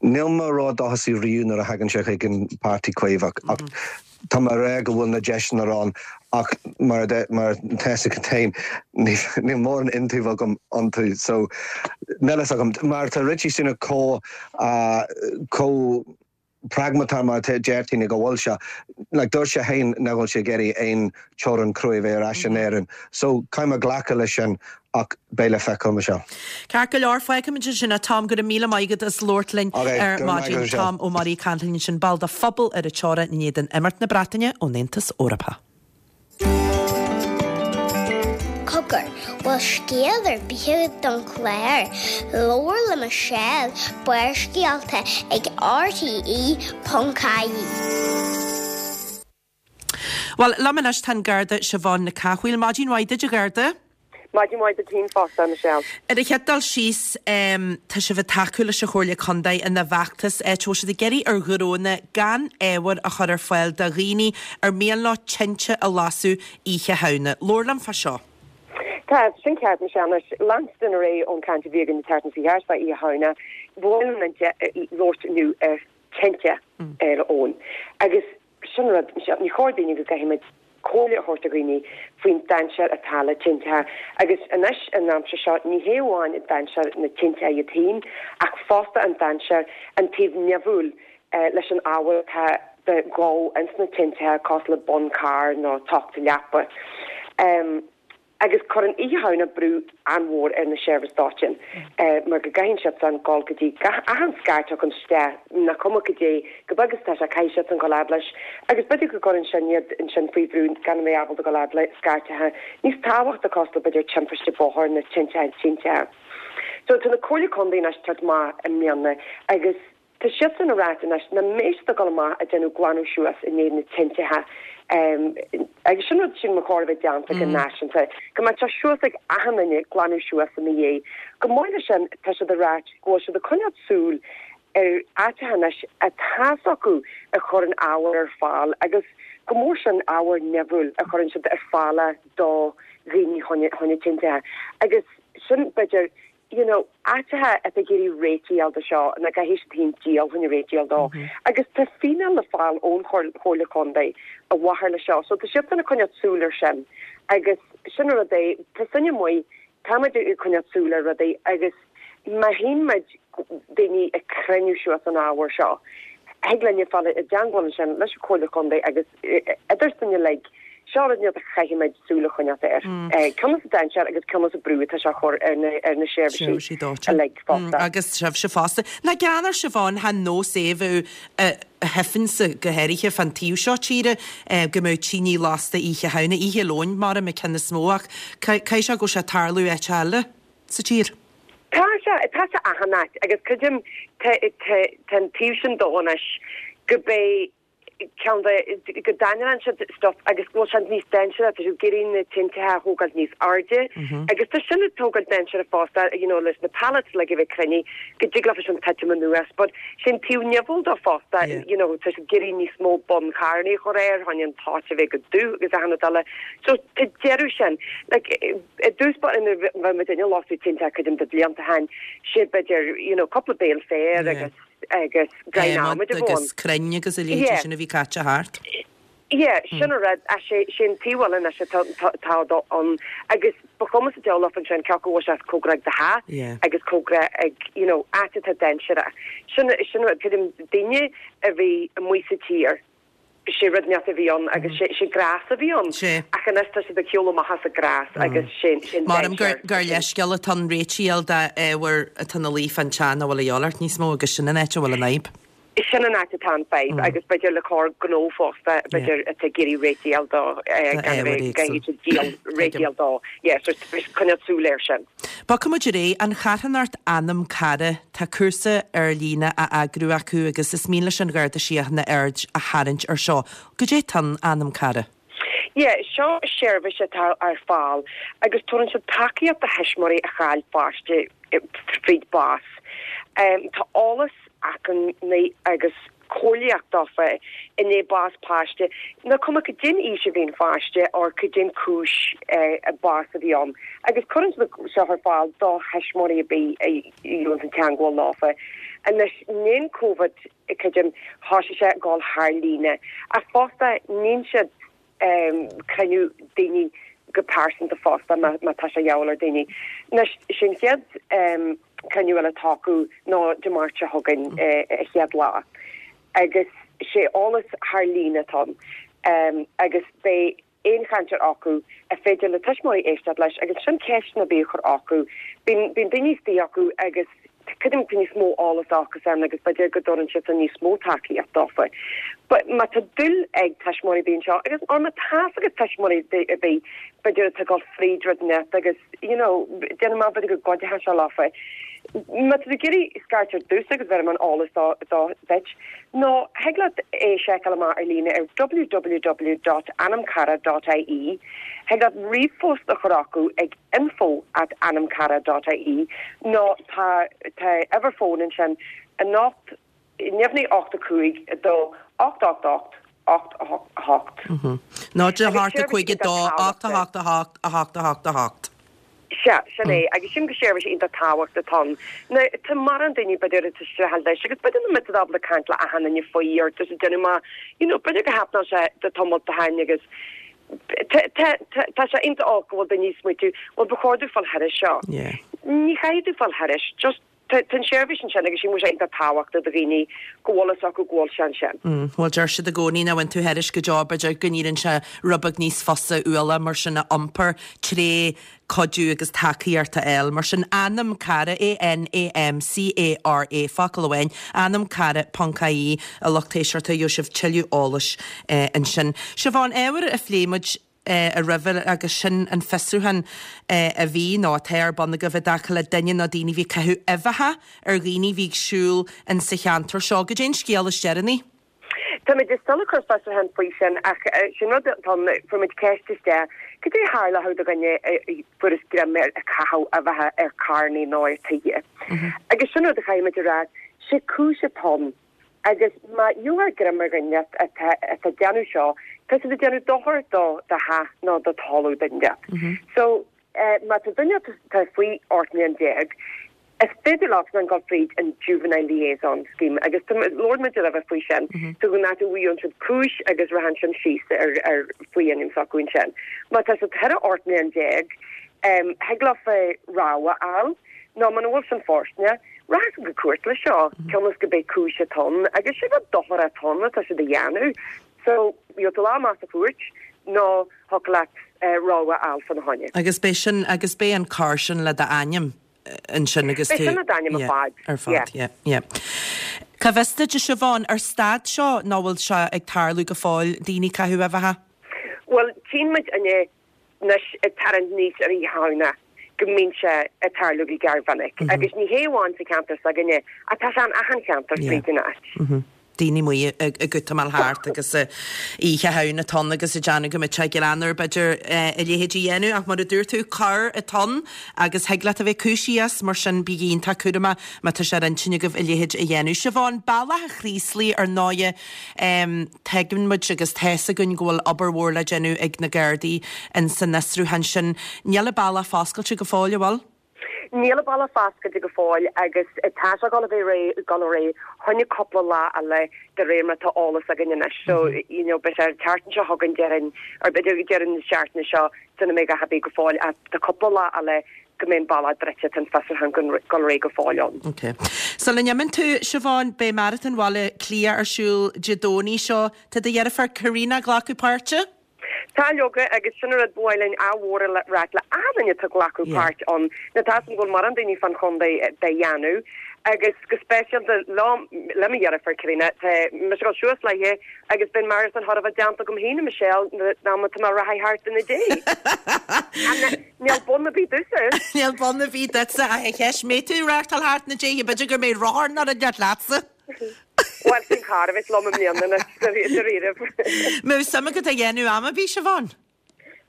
Níl mé ró-dóchasach riamh nuair a thagann sé chuig an Páirtí Caomhach ach tá mé ag rá go bhfuil na deiseanna ann ach mar atá a fhios agat féin níl mórán iontaoibh agam iontu so níl a fhios agam. Mar tá Rishi Sunak chomh chomh pragmatach mar a deir daoine go bhfuil sé. Like dúirt sé féin nach bhfuil sé ag iarraidh aon teorainn cruaidh a bheith ar ais in Éirinn. So caithfidh mé glacadh leis sin ach beidh le feiceáil, Michelle. Ceart go leor, fágfaimid ansin é Tom, go raibh míle maith agat as labhairt linn ar maidin. Tom Ó Muirí ag caint linn ansin, ball de phobal ar an teorainn i ndiaidh d'imeacht na Breataine ón Aontas Eorpach. Cogar, bhfuil scéal ar bith agat don chlár? Labhair le Michelle, Barrscéalta ag R T E ponc I E. Bhuel, liom anois tá an Garda Siobhán Nic Cathmhaoil. Maidin mhaith duit, a Gharda. Maidin mhaith duit féin fosta, Michelle. Ar an chéad dul síos, tá sibh ag tacú leis an Chomhairle Contae ina bhfeachtas, áit a bhfuil siad ag iarraidh ar ghnónna gan ábhar a chur ar fáil do dhaoine ar mian leo tinte a lasadh Oíche Shamhna. Labhair liom fá seo. Tá sin ceart, Michelle. Anois, leanstan ar aghaidh ón chaint a bhí againn an tseachtain seo chuaigh thart fá Oíche Shamhna, ba mhaith liom labhairt inniu ar tinte ar ón. Agus sin rud, Michelle, ní chóir daoine go gcaithfimid comhairle a thabhairt do dhaoine faoin dainséar atá le tinteacha. Agus anois, an aimsir seo, ní hé amháin an dainséar na tinteacha iad féin, ach fosta an dainséar, an taobh nimhiúil leis an ábhar atá de dhó ins na tinteacha, cosúil le bonn cairr nó tocht leapa. Agus cuireann Oíche Shamhna brú an-mhór ar na seirbhís dóiteáin mar go gcaitheann siadsan dul go dtí gach achan scairt a thagann isteach, nach cuma cad é chomh beag is atá sé, caithfidh siadsan dul fhad leis. Agus b'fhéidir go gcuireann sin iad ansin faoi bhrú gan a bheith ábalta dul fhad le scairteacha níos tábhachta cosúil le b'fhéidir timpiste bóthair nó tinteacha tinteacha. So tá na Comhairle Contae anois ag tabhairt amach i mbliana agus Tá siadsan ag ráit anois nach mbeidh siad ag dul amach ag déanamh glanadh suas i ndiaidh na tinteacha agus sin rud sin ba chóir a bheith déanta go náisiúnta, go mbeadh sé suas ag achan duine glanadh suas ina dhiaidh. Chomh maith leis sin tá siad ag ráit go bhfuil siad ag coinneáil súil ar áiteacha anois atá 's acu a chuireann ábhar ar fáil agus go mór sin ábhar nimhiúil a chuireann siad ar fáil do dhaoine fá choinne tinteacha agus sin b'fhéidir you know, áiteacha atá ag iarraidh réitigh a fháil dó seo, nó caithfidh siad féin díol chun réitigh a fháil dó. Agus tá fíneáil le fáil ón Chomhairle Contae i bhfabhar le seo. So tá siadsan ag coinneáil súil ar sin. Agus sin an rud é, tá sinne amuigh, táimid ag coinneáil súil ar rudaí agus má tchíonn muid daoine ag cruinniú suas an ábhair seo, thig linne fáil i dteangmháil ansin leis an Chomhairle Contae agus idir sinne uilig, Seo rud a chaithfimid súil a choinneáilt air. Cionn is an dainséar agus cionn is an brú atá sé a chur ar na ar na seirbhísí uilig fosta. Agus sibhse fosta. Nach gean ar Siobhán, chan nós é bheith thifinnse go háirithe fán taobh seo tíre go mbeadh tine lasta Oíche Shamhna, Oíche Luain mar an ceann is mó ach caithfidh sé go bhfuil sé ag tarlú áit eile sa tír. Tá sé, tá sé achan áit agus creidim tá tá an taobh sin dó anois go beidh ceann de go dtaitníonn siad stuff agus go bhfuil siad níos dainséaraí, tá siad ag iarraidh na tinte a thógáil níos airde agus tá sin ag tógáil dainséarach fosta, you know, leis na pallets like a bheith cruinnithe go dtig leofa sin titim anuas, but sin taobh nimhiúil dó fosta, you know, tá siad ag iarraidh níos mó buncharannaí a chur air, chun an t-áit a bheith go dubh agus achan rud eile. So tá deireadh sin, like, i dtús báire nuair a bhí muid ag lasadh tinte cuid de blianta ó shin, sé b'fhéidir, you know, cúpla béal féir agus agus greim adhmaid a bhí ann. Agus crainn agus a leithéid sin a bhí caite thart. Yeah, sin an rud, sé sin taobh eile anois atá atá ann agus ba chuma sa diabhal leofa ansin cé acu bhfuil sé cóngarach do theach agus cóngarach ag, you know, áit atá dainséarach. Sin sin rud, creidim daoine a bhí amuigh sa tír, sé rud inteacht a bhí ann agus sé sé gras a bhí ann. Ach anois tá siad ag shiúl amach as an gras agus sé sin Maram gur gur leithscéal atá ann réiteach a fháil d'ábhar atá ina luí fán teach nach bhfuil a dhíobháil ort níos mó agus sin an áit a bhfuil an fhadhb. Sin an áit atá an fadhb agus b'fhéidir le cor gnó fosta, b'fhéidir atá ag iarraidh réiteach a fháil dó gan a bheith gan iad ag díol réiteach a fháil dó. Yeah, so coinneáil súil air sin. Bogfaidh muid ar aghaidh, an charthanacht Anam Cara, tá cúrsa ar líne á eagrú acu agus is mian leis an Gharda Síochána aird a tharraingt ar seo. Goidé atá in Anam Cara? Yeah, seo seirbhís atá ar fáil agus tugann siad tacaíocht do thuismitheoirí a chaill páiste fríd bás. Tá eolas acmhainní agus comhairlíocht dófa i ndiaidh bás páiste, nach cuma cad é an aois a bhí an pháiste or cad é an cúis bás a bhí ann. Agus cuireann siad seo ar fáil do thuismitheoirí ar bith a dhéanann an teagmháil leofa. Anois níl Covid creidim thosaigh sé ag dul thar líne ach fosta níonn siad cruinniú daoine go pearsanta fosta má má tá sé a dhíobháil ar daoine. Anois sin chéad cruinniú eile atá acu ná Dé Máirt seo chugainn a chéad lá. Agus sé eolas thar líne atá ann agus beidh aon chainteoir acu a féidir le tuismitheoirí éisteacht leis agus sin ceisteanna ar bith a chur acu. Bíonn bíonn daoine istigh acu agus creidim tá níos mó eolas acusan agus b'fhéidir go dtabharann siad níos mó tacaíocht dófa. But má tá dúil ag tuismitheoirí ar bith anseo agus or má tá's agat tuismitheoirí ar bith b'fhéidir atá ag dul fríd rud inteacht agus you know déanamh amach b'fhéidir go gcuideoidh sé leofa. Má tá tú ag iarraidh scairt ar dtús agus bheir an eolas dó dó duit, nó thig leat é seiceáil amach ar líne ar www dot anamcara dot ie, thig leat ríomhphost a chur acu ag info at anamcara dot ie nó tá tá uimhir fóin ansin anocht neamhní ocht a cúig a dó ocht ocht ocht ocht a hocht a hocht. Náid a hocht a cúig a dó ocht a hocht a hocht a hocht a hocht a hocht. Sea, sin é, agus sin go seirbhís iontach tábhachtach atá ann. Now, tá mórán daoine b'fhéidir atá streachailt leis agus b'fhéidir nach mbeidh siad ábalta caint le achan duine faoi or tá siad déanamh amach, you know, b'fhéidir go happenáil sé do tamall ó shin agus tá tá tá tá sé iontach olc go bhfuil daoine ag smaoitiú, bhuel ba chóir domh fáil thairis seo. Yeah. Ní chaithfidh tú fáil thairis, just tá tá an seirbhís ansin agus sin bhfuil sé iontach tábhachtach do dhaoine go bhfuil fhios acu go bhfuil sé ansin. Mm, bhuel deir siad i gcónaí nach bhfuil tú thairis go deo b'fhéidir go n-éiríonn sé rud beag níos fusa ualach mar sin a iompar tré cuidiú agus tacaíocht a fháil. Mar sin Anam Cara A N A M C A R A focal amháin anamcara ponc ie a lucht éisteachta gheobhaidh sibh tuilleadh eolais eh, ansin. Siobhán ábhar a phléigh muid eh, a roimhe agus sin an fiosrúchán eh, a bhí nó atá ar bun agaibh i dtaca le duine nó daoine bhí ag caitheamh uibheacha ar dhaoine bhí ag siúl in sa cheantar seo. Goidé an scéal is deireanaí. Tá muid still ag cur fiosrúchán faoi sin ach eh, sin rud atá fuair muid ceist isteach cad é a tharlódh do dhuine fuarthas greim air ag caitheamh uibheacha ar charranna nó ar tithe. Agus sin rud a chaithfidh muid a rá sé cúis atá ann. Agus má gheofar greim ar dhuine atá atá ag déanamh seo, tá siad ag déanamh dochar do do theach nó do talamh duine. So eh, má tá duine tá faoi ocht mbliana déag, is féidir leat an gul fríd an Juvenile Liaison Scheme agus labhair muid roimhe faoi sin so go náú an siad cúis agus rachann sin síos ar ar faoi ainm s'acu sin. Má tá siad thar ocht mbliana déag, um, thig leofa rabhadh a fháil, nó muna bhfuil sin fóirsteanach, rachaidh go cúirt le seo, cionn is go mbeidh cúis atá ann, agus sé rud dochar atá ann atá siad a dhéanamh. So gheobhaidh tú lá amach sa chúirt nó thig leat uh, rabhadh a fháil faoina choinne. Agus beidh sin agus beidh an cor sin le d'ainm ansin agus Beidh sin le d'ainm ar fad. Ar fad, yeah, yeah. Cá bhfios duit a Siobhán ar stad seo nó bhfuil sé ag tarlú go fóill daoine ag caitheamh uibheacha? Well, tchíonn muid inné anois ag tarraingt níos ar Oíche Shamhna go mbíonn sé ag tarlú go gearrmhinic. Agus ní hé amháin sa cheantar s'againne, ach tá sé in achan cheantar fríd an áit. daoine amuigh ag gutamáil thart agus Oíche Shamhna atá ann agus ag déanamh go mbeadh sé greannmhar b'fhéidir a leithéid a dhéanamh ach mar a dúirt tú, coir atá ann agus thig leat a bheith cúisithe as, mar sin bígí iontach cúramach má tá sé ar intinn agaibh a leithéid a dhéanamh. Siobhán, Bealach an Chraoslaigh ar ndóighe, tuigeann muid agus tá's againn go bhfuil obair mhór le déanamh ag na Gardaí in san fhiosrúchán sin. Níl an bealach foscailte go fóill, an bhfuil? Níl an bealach foscailte go fóill agus tá sé ag dul a bheith réidh, ag dul ar aghaidh choinne cúpla lá eile de réir mar atá eolas againn anois. So, you know, beidh sé an tseachtain seo chugainn déarfainn, or b'fhéidir deireadh na seachtaine seo sula mbeidh a dhath ar bith go fóill ach tá cúpla lá eile go mbeidh an bealach druidte, tá an fiosrúchán ag dul ar aghaidh go fóill ann. Ok. Sula n-imíonn tú, Siobhán, beidh Maratón Bhaile Átha Cliath ar siúl Dé Domhnaigh seo. Tá do dheirfiúr Karina ag glacadh páirte? Tá leoga, agus sin an rud ba mhaith linn ádh mhór a ráit le achan duine atá ag glacadh páirt ann. Now tá's agam go bhfuil mórán daoine fán chontae dá dhéanamh, agus go speisialta liom, le mo dheirfiúr Karina, tá mise ag dul suas léithe agus beidh an marathon chóir a bheith déanta agam féin, a Michelle, an am atá mé ag rith thart ina diaidh. Níl bonn ar bith duitse. Níl bonn ar bith duitse, ach an cheist, mbeidh tú ag reáchtáil thart ina diaidh, b'fhéidir go mbeidh rothar nó rud inteacht leatsa. Bhuel, sin carr a bheas liom i mbliana anois, dáiríribh. Mbeadh suim agat a dhéanamh am ar bith, Siobhán?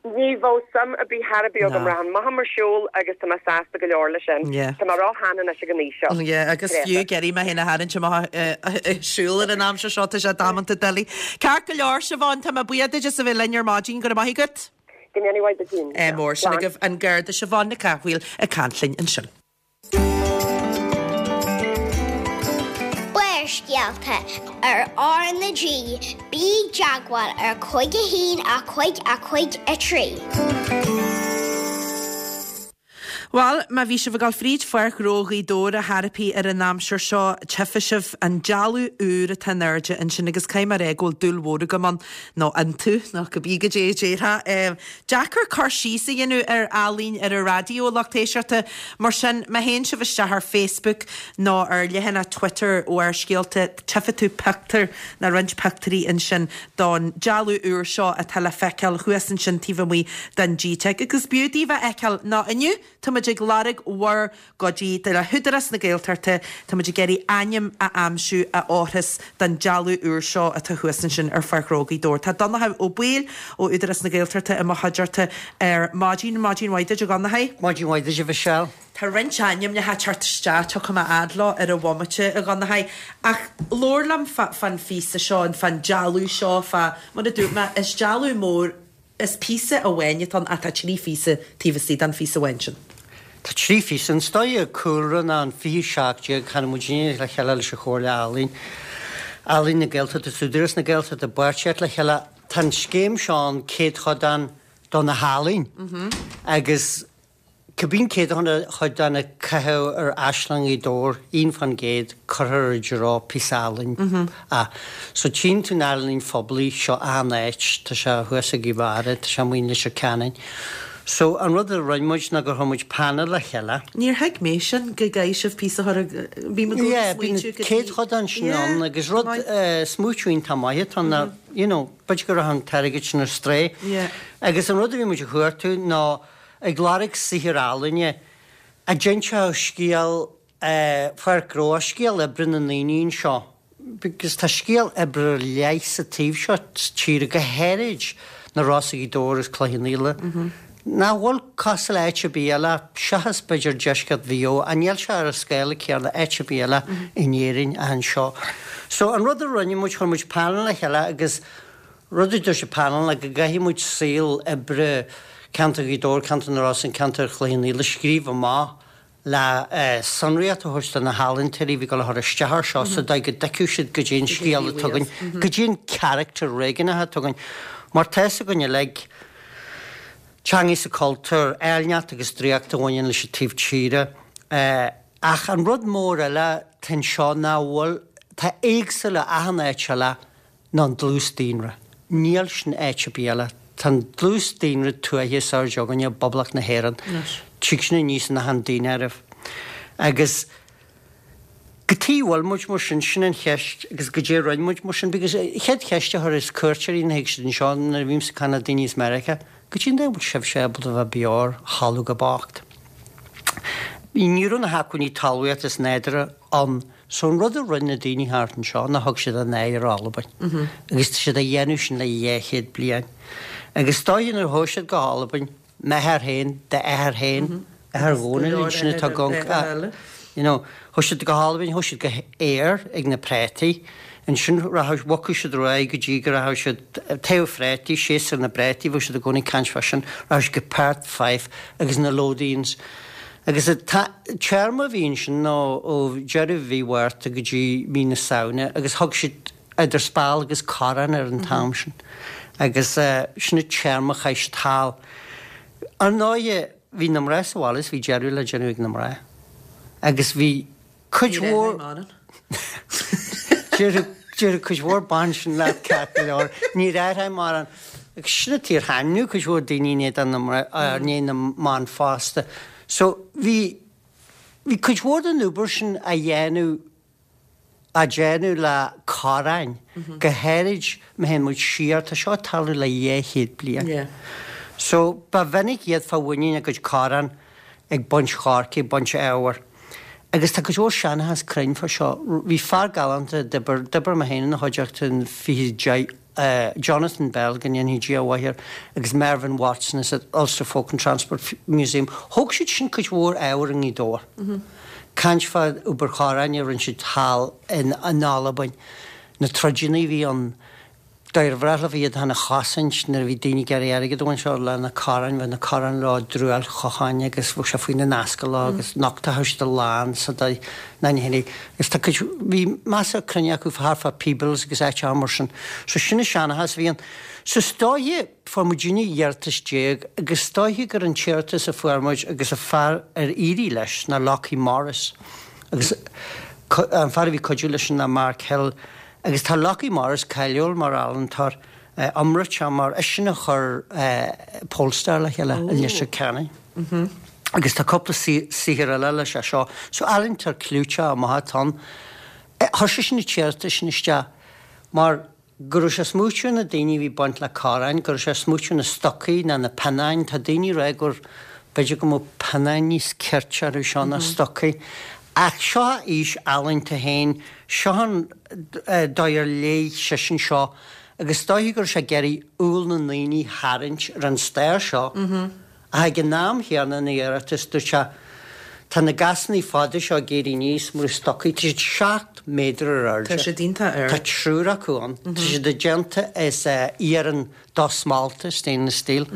Ní bheadh suim ar bith thar ar bith agam. Rachainn amach ar shiúl agus tá mé sásta go leor leis sin. Tá mé ró-shean anois ag an aois seo. Yeah, agus fiú ag iarraidh mé féin a tharraingt amach ag siúl ar an aimsir seo, tá sé damanta doiligh. Ceart go leor, Siobhán, tá mé buíoch duit as a bheith linn ar maidin, go raibh maith agat. Go ndéana mhaith duit féin. Ádh mór, sin agaibh an Garda Siobhán Nic Cathmhaoil ag caint linn ansin. Barrscéalta ar R na G, bí i dteagmháil ar cúig a haon a cúig a cúig a trí. Bhuel, má bhí sibh ag dul fríd Pháirc Ghnó Ghaoth Dobhair ar chor ar bith ar an aimsir seo, tchífidh sibh an dealbh úr atá in airde ansin agus caithfidh mé a rá go bhfuil dúil mhór agam ann, nó iontu, nó cibé goidé a déarfá. Deacair cur síos a dhéanamh ar ealaín ar an raidió, a lucht éisteachta. Mar sin, má théann sibh isteach ar Facebook nó ar leathanach Twitter Bharrscéalta, tchífidh tú pictiúr, nó roinnt pictiúirí ansin don dealbh úr seo atá le feiceáil thuas ansin taobh amuigh den GTeic. Agus b'fhiú daoibh a fheiceáil, nó inniu, tá muid ag lorg bhur gcuidí le hÚdarás na Gaeltachta, tá muid ag iarraidh ainm a aimsiú a fhóirfeas don dealbh úr seo atá thuas ansin ar Pháirc Ghnó Ghaoth Dobhair. Tá Donnchadh Ó Baoill ó Údarás na Gaeltachta i mo chuideachta ar maidin. Maidin mhaith duit, a Dhonnchaidh. Maidin mhaith duit, a Mhichelle. Tá roinnt ainmneacha ag teacht isteach, tiocfaidh mé fhad leo ar an bhomaite, a Dhonnchaidh, ach labhair liom fán phíosa seo, fán dealbh seo, fá, mar a dúirt mé, is dealbh mór, Is píosa amháin atá ann ach tá trí phíosa taobh istigh den phíosa amháin sin. Tá trí phíosa. An dóigh cúlra ná an fiche seacht déag tháinig muidinne le chéile leis an Chomhairle Ealaíon, Ealaín na Gaeltachta is Údarás na Gaeltachta i bpáirtíocht le chéile. Tá an scéim seo ann, céadchodán do na healaín agus Cibé an céadchodán a caitheadh ar Áislann Ghaoth Dobhair, aon fán gcéad, cuirfear i dtreo píosa ealaíne. So tchíonn tú an ealaín phoiblí seo achan áit, tá sé thuas i gCill Dara, tá sé amuigh in Leitir Ceanainn. So an rud a rinne muid ná gur chuir muid panel le chéile. Níor thuig mé sin, go gcaithfidh sibh píosa a chur i, bím i gcónaí Yeah, bíonn smaointiú go dtí. céadchodán sin Yeah, ann agus rud, maith. smaoitiú iontach maith atá ann ná, you know, b'fhéidir go raibh an t-airgead sin ar strae. Yeah. Agus an rud a bhí muid a chuartú ná ag lorg saothar ealaíne a d'inseodh scéal Pháirc Ghnó, scéal oibre na ndaoine anseo, because tá scéal oibre ar leith sa taobh seo tíre, go háirid na Rosa, Gaoth Dobhair agus Cloich Cheann Fhaola, nach bhfuil cosúil le áit ar bith eile, seachas b'fhéidir deisceart Mhaigh Eo, ach níl sé ar an scála céanna áit ar bith eile in Éirinn ach anseo. So an rud a rinne muid, chuir muid panel le chéile agus Rud a dúirt an panel ná go gcaithfidh muid saol oibre ceantar Ghaoth Dobhair, ceantar na Rosann, ceantar Chloich Cheann Fhaola a scríobh amach le sonraíocht a thabhairt do na healaíontóirí a bhí ag dul a chur isteach air seo sa dóigh go dtuigfeadh siad goidé an scéal atá againn, goidé an charachtar réigiúnach atá againn. Mar tá fhios againn uilig, teanga is cultúr, áilneacht agus draíocht a bhaineann leis an taobh tíre. Ach an rud mór eile atá anseo ná bhfuil, tá éagsúil le achan áit eile, ná an dlús daonra. Níl sin áit ar bith eile. Tá an dlús daonra tuaithe is airde againne i bPoblacht na hÉireann. Tig sin aníos in achan daonáireamh. Agus cad chuige a bhfuil muid mar sin, sin an cheist, agus goidé a rinne muid mar sin, because an chéad cheist a chuireas cuairteoirí nuair a thig siad anseo, nuair a bhímse ag caint le daoine as Meiriceá, goidé an dóigh a bhfuil sibhse ábalta a bheith beo ar thalamh chomh bocht? Ní raibh na hacmhainní talmhaíochta is nádúrtha ann. So an rud a rinne na daoine thart anseo ná thug siad a n-aghaidh ar Albain. Agus tá siad á dhéanamh sin le dhá chéad bliain. Agus is dóiche nuair a chuaigh siad go hAlbain, m'athair féin, d'athair féin, athair Dhónaill ansin atá ag you know, chuaigh siad go hAlbain, chuaigh siad go Ayr ag na préataí. Ansin rachadh, bhogfadh siad ar aghaidh go dtí go rachadh siad taobh phréataí, séasúr na bpréataí, bheadh siad i gcónaí ag caint fá sin, rachadh siad go Perth, Fife agus na Lothians. Agus an téarma a bhí ansin ná ó deireadh mhí Mhárta go dtí mí na Samhna agus thug siad idir speal agus corrán ar an t-am sin. Agus sin an téarma a chaith siad thall. Ar ndóighe, bhí na mná sa bhaile is bhí deireadh le déanamh ag na mná. Agus bhí cuid mhór. Déarfadh cuid mhór ban sin leat ceart go leor. Níor athraigh mórán. Agus sin an tír thaitneodh cuid mhór daoine i ndiaidh na i ndiaidh na mban fosta. So bhí bhí cuid mhór den obair sin á dhéanamh á déanamh le corráin, go háirid má théann muid siar, tá seo ag tarlú le dhá chéad bliain. So ba mhinic iad fá mhuinín a gcuid corrán ag baint choirce, ag baint ábhair. Agus tá cuid mhór seanchas cruinn fá seo. Bhí fear galánta a d'oibir, d'oibir mé féin ina chuideachta in fiche deich, Jonathan Bell, go ndéanfaidh Dia a mhaith air, agus Mervyn Watson as an Ulster Folk and Transport Museum. Thóg siad sin cuid mhór ábhair i nGaoth Dobhair. Caint fá obair chorráin a rinne siad thall in Albain, na troideanna a bhí ann, Dóigh ar bhreá leofa iad féin a chosaint nuair a bhí daoine ag iarraidh airgead a bhaint leo le na corráin, bheadh na corráin leo i dtruaill chocháin agus bheadh sé faoina n-ascaill leo agus nochtfadh siad a lán sa dóigh ná ní hé agus tá cuid, bhí measartha cruinne acu thart fá Peebles agus áiteacha mar sin. So sin an seanchas a bhí ann. So is dóiche, fuair muidinne iarratas déag agus is dóiche gur an t-iarratas a fuair muid agus an fear ar éirigh leis ná Lockie Morris agus an fear a bhí ag cuidiú leis ná Mark Hill. Agus tá Lockie Morris cáiliúil mar ealaíontóir iomráiteach mar eisean a chuir Polestar le chéile i Leitir Ceanainn. Agus tá cúpla saothar eile leis é seo. So ealaíontóir clúiteach maith atá ann. Chuir seisean an t-iarratas sin isteach mar go raibh sé ag smaoitiú ar na daoine a bhí baint le corráin, go raibh sé ag smaoitiú ar na stocaí ná na pionnáin. Tá daoine ag rá gur b'fhéidir go mbeadh pionnáin níos cirte orthu seo ná stocaí. Ach seo a fhís ealaíonta féin, seo an dóigh ar léigh seisean seo agus is dóiche go raibh sé ag iarraidh umhal na ndaoine a tharraingt ar an stair seo. Ach ag an am chéanna ina iarratas dúirt sé, Tá na gasanna fada seo ag éirí aníos mar stocaí, tá siad seacht méadar ar airde. Tá siad iontach ard. Tá triúr acu ann. Tá siad déanta as iarann dosmálta, stainless steel.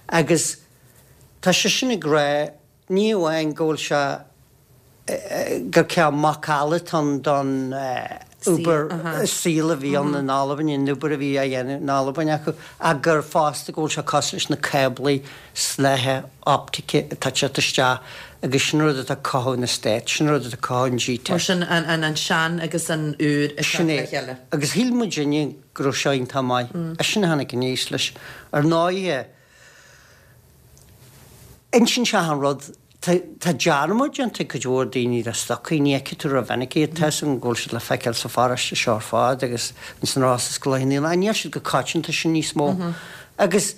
Agus tá seisean ag rá, ní amháin go bhfuil sé gur cineál macalla atá ann don obair saol a bhí ann in Albain, an obair a bhí á dhéanamh in Albain acu, ach gur fosta go bhfuil sé cosúil leis na cáblaí snáithe optaice atá ag teacht isteach agus sin rud atá ag cothú na Stát, sin rud atá ag cothú an G-Tech. Mar sin an sean agus an úr ag teacht le chéile. Agus shíl muidinne go raibh seo iontach maith. Eisean a tháinig aníos leis. Ar ndóighe, Insíonn sé achan rud. Tá dearmad déanta ag cuid mhór daoine de stocaí, ní fheicfidh tú rómhinic iad. Tá 'fhios agam go bhfuil siad le feiceáil sa pharóiste seo ar fad agus ins an Ros is go Loch an Éalaigh, ach níl siad chomh coitianta sin níos mó. Agus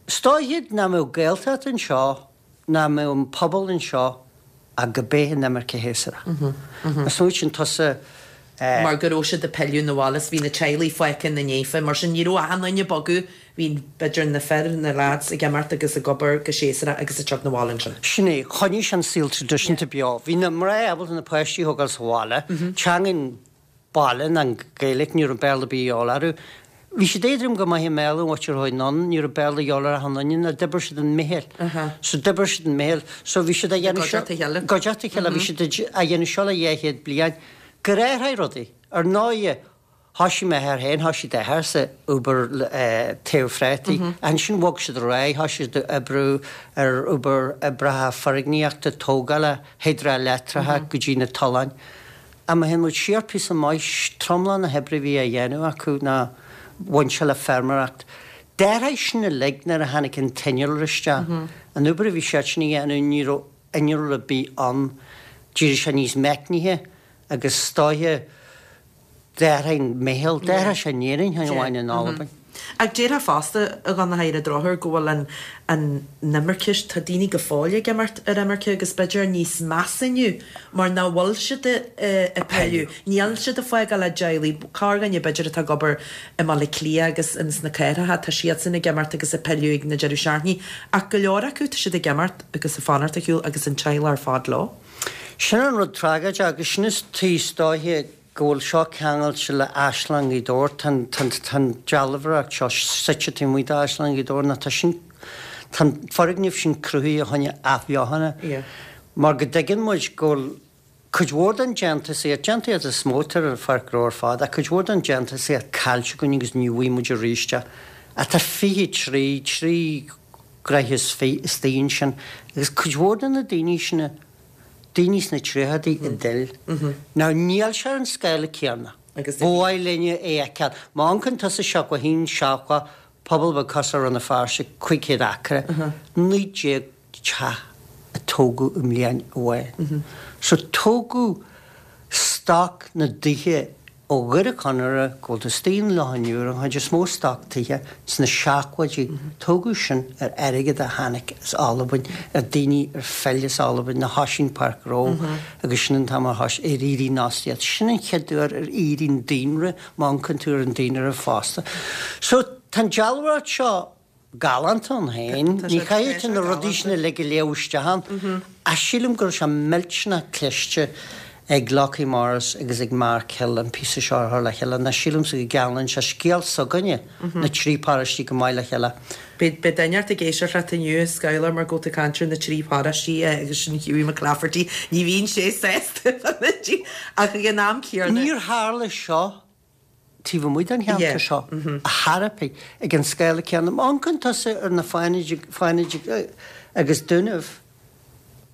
is dóiche nach mbeadh Gaeltacht anseo, nach mbeadh an pobal anseo ach go b'é an imirce shéasúrach. Má smaoitíonn tusa. mar go raibh siad ag pilleadh 'na bhaile is bhí na teaghlaigh fágtha ina ndiaidh, mar sin ní raibh achan duine ag bogadh, bhí b'fhéidir na fir, na lads ag imeacht agus ag obair go séasúrach agus ag teacht 'na bhaile ansin. Sin é, choinnigh sé an saol traidisiúnta beo. Bhí na mná ábalta na páistí a thógáil sa bhaile, teanga an bhaile ná an Ghaeilge, ní raibh Béarla ar bith de dhíobháil orthu. Bhí siad éadrom go maith i mBéarla an mhuintir a chuaigh anonn, ní raibh Béarla de dhíobháil ar achan nduine, ná d'oibir siad an mhichíl. So d'oibir siad an mhichíl. So bhí siad á dhéanamh seo. I gcuideachta a chéile. I gcuideachta a chéile. Bhí siad á dhéanamh seo le dhá chéad bliain. Gur athraigh rudaí. Ar ndóighe, thoisigh m'athair féin, thoisigh d'athair sa obair taobh phréataí. Ansin bhog siad ar aghaidh, thoisigh siad ag oibriú ar obair oibreacha foirgníochta, tógála, hidrealeictreacha go dtí na tolláin. Ach má théann muid siar píosa maith, tromlach na hoibre a bhí á dhéanamh acu ná bhain sé le feirmeoireacht. D'athraigh sin uilig nuair a tháinig an t-innealra isteach. An obair a bhí siadsan a dhéanamh, ní raibh innealra ar bith ann. D'éirigh sé níos meicnithe agus is dóiche d'athraigh an mhichíl, d'athraigh sé in Éirinn, chan amháin in Albain. Ach déarfá fosta, a Dhonncha, ar an drochuair go bhfuil an an imirce, tá daoine go fóill ag imeacht ar imirce agus b'fhéidir níos measa inniu mar nach bhfuil siad ag pilleadh, níl siad ag fágáil a dteaghlaigh, corrdhuine b'fhéidir atá ag obair i mBaile Átha Cliath agus ins na cathracha, tá siadsan ag imeacht agus ag pilleadh ag na deireadh seachtainí ach go leor acu tá siad ag imeacht agus ag fanacht ar shiúl agus an teaghlach ar fad leo. Sin an rud tragóideach agus sin is tuí is dóiche go bhfuil seo ceangailte le Áislann Ghaoth Dobhair, tá an, tá an, tá an dealbhóireacht seo suite taobh amuigh d'Áislann Ghaoth Dobhair nó tá sin, tá an foirgneamh sin cruthaithe a choinne athbheochana Yeah. mar go dtuigeann muid go bhfuil cuid mhór den déantúsaíocht, déantúsaíocht is mó atá ar an Pháirc Ghnó ar fad, ach cuid mhór den déantúsaíocht caillte againn agus ní bhfaighidh muid arís é. Ach tá fiche trí, trí ghraithe is fiche istigh ansin agus cuid mhór de na daoine sin, daoine sna tríochaidí a d'fhill. Now níl sé ar an scála céanna. Agus Ba mhaith linne é a fheiceáil. Má amharcann tusa seachtó a haon seachtó, pobal beag cosúil le Rann na Feirste, cúig chéad acra, naoi déag teach a tógadh i mbliain amháin. So tógadh stoc na dtithe ó Dhoire Chonaire go bhfuil tú istigh in Loch an Iúir, an chuid is mó stoc tithe sna seachtóidí, tógadh sin ar airgead a tháinig as Albain, ar daoine ar phill as Albain, na thoisigh an Páirc Ghnó agus sin an t-am ar thois, ar éirigh an fhostaíocht. Sin an chéad uair ar éirigh an daonra, má amharcann tú ar an daonra fosta. So tá an dealbhóireacht seo galánta ann féin, Tá sé ní chaithfidh tú tá sé na rudaí sin galánta. uilig a léamh isteach ann, ach sílim go raibh sé millteanach cliste ag Lochie Morris agus ag Mark Hill an píosa seo a chur le chéile, ná sílimse go gceanglann sé scéal s'againne, na trí paróistí go maith le chéile. Beidh beidh duine ort ag éisteacht leat inniu, a Schuyler, mar go bhfuil tú ag caint ar na trí paróistí agus sin Hughie McClafferty. Ní bhíonn sé sásta ach ag an am céanna. Níor tharla seo taobh amuigh den cheantar Yeah. seo a tharla ag an scála céanna. Má amharcann tusa ar na Fánaid Fánaid agus Dúnaibh,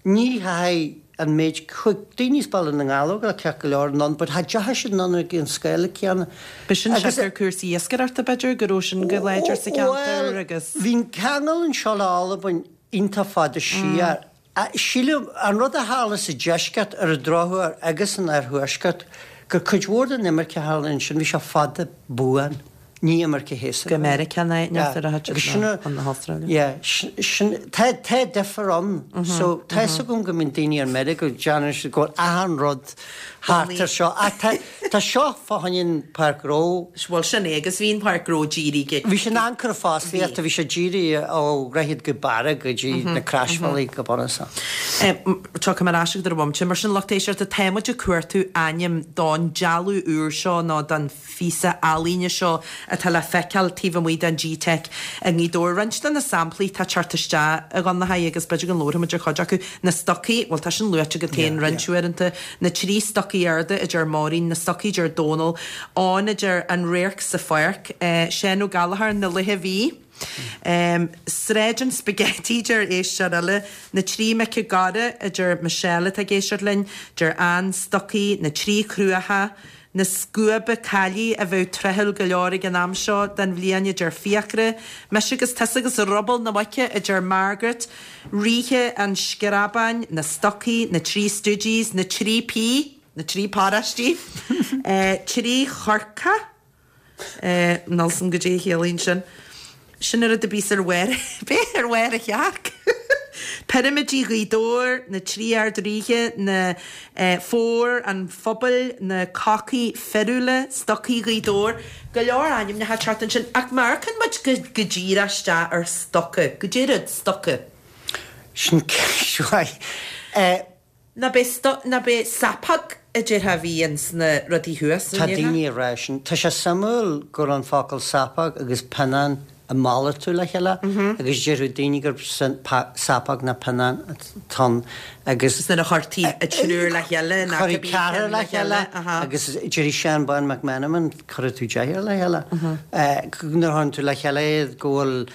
ní haghaidh an méid chuig daoine as Baile na nGallóg le ceart go leor anonn, but cha dteachaigh siad anonn ag an scála céanna. B'shin Agus- siocair cúrsaí iascaireachta b'fhéidir go raibh sin go láidir sa cheantar Well, agus Bhí an ceangal anseo le Albain iontach fada siar. A- Sílim an rud a tharla sa deisceart ar an drochuair agus san oirthuaisceart gur cuid mhór den imirce a tharla ansin bhí sé fada buan, ní imirce shéasúrach. go Meiriceá neart ar a Agus sin a- an na hAstráile. Yeah, sin tá tá difear ann. So tá fhios agam go mbíonn daoine ar meirge go déanann siad go bhfuil achan rud thart ar seo. Ach tá tá seo fá choinne an Páirc Ghnó. Bhuel sin é agus bhí an Páirc Ghnó dírithe Bhí sin anchor fostaíochta, bhí sé dírithe ó Dhroichead go Barra go dtí na Croisbhealaí go bunúsach. Tiocfaidh mé ar ais agat ar an bhomaite, mar sin lucht éisteachta tá muid ag cuartú ainm don dealbh úr seo nó don phíosa ealaíne seo atá le feiceáil taobh amuigh den G-Tech i nGaoth Dobhair. Roinnt de na samplaí tá teacht isteach a Dhonncha agus b'fhéidir go labharfaimid ar chuid acu. Na stocaí, bhuel tá sin luaite agat féin roinnt uaireanta, na trí stocaí arda a deir Máirín, na stocaí deir Dónal, Eoin a deir an radharc sa pháirc, eh, Seán Ó Gallchóir na luithe bhí. Um, Sráid an spaghetti deir éisteoir eile, na trí mic i gCora a deir Michelle atá ag éisteacht linn, deir Ann Stocaí, na trí cruacha, na scuaba caillí a bheith tráthúil go leor ag an am seo den bhliain a deir Fiachra, Mise agus tusa agus ruball na muice a deir Margaret, Ríthe an Screabáin, na stocaí, na trí Stooges, na trí P, na trí paróistí, eh, trí chorca, eh, Nilsson go dtí chéalaíonn sin. Sin ar a bí ar bhar bé ar bharr a theach. Pirimidí Ghaoth Dobhair, na trí ardríthe, na eh, fór an phobail, na cocaí fearúla, stocaí Ghaoth Dobhair, go leor ainmneacha teacht ansin ach marcan muid go go díreach isteach ar stoca, go deireadh stoca. Sin ceist Eh, Na bé sto na bé sapag a deirthe bhí ins na rudaí thuas. Tá daoine ag rá sin. Tá sé suimiúil gur an focal sapag agus pionnán a malartú le chéile agus deir daoine gur sin pa- sapag na pionnán ton agus Is nuair a chuirtí a triúr le chéile na Chuirí ceathrar le chéile agus deir Seán Bán McMenamin chuir tú deichniúr le chéile. Eh, Nuair a chuireann tú le chéile go bhfuil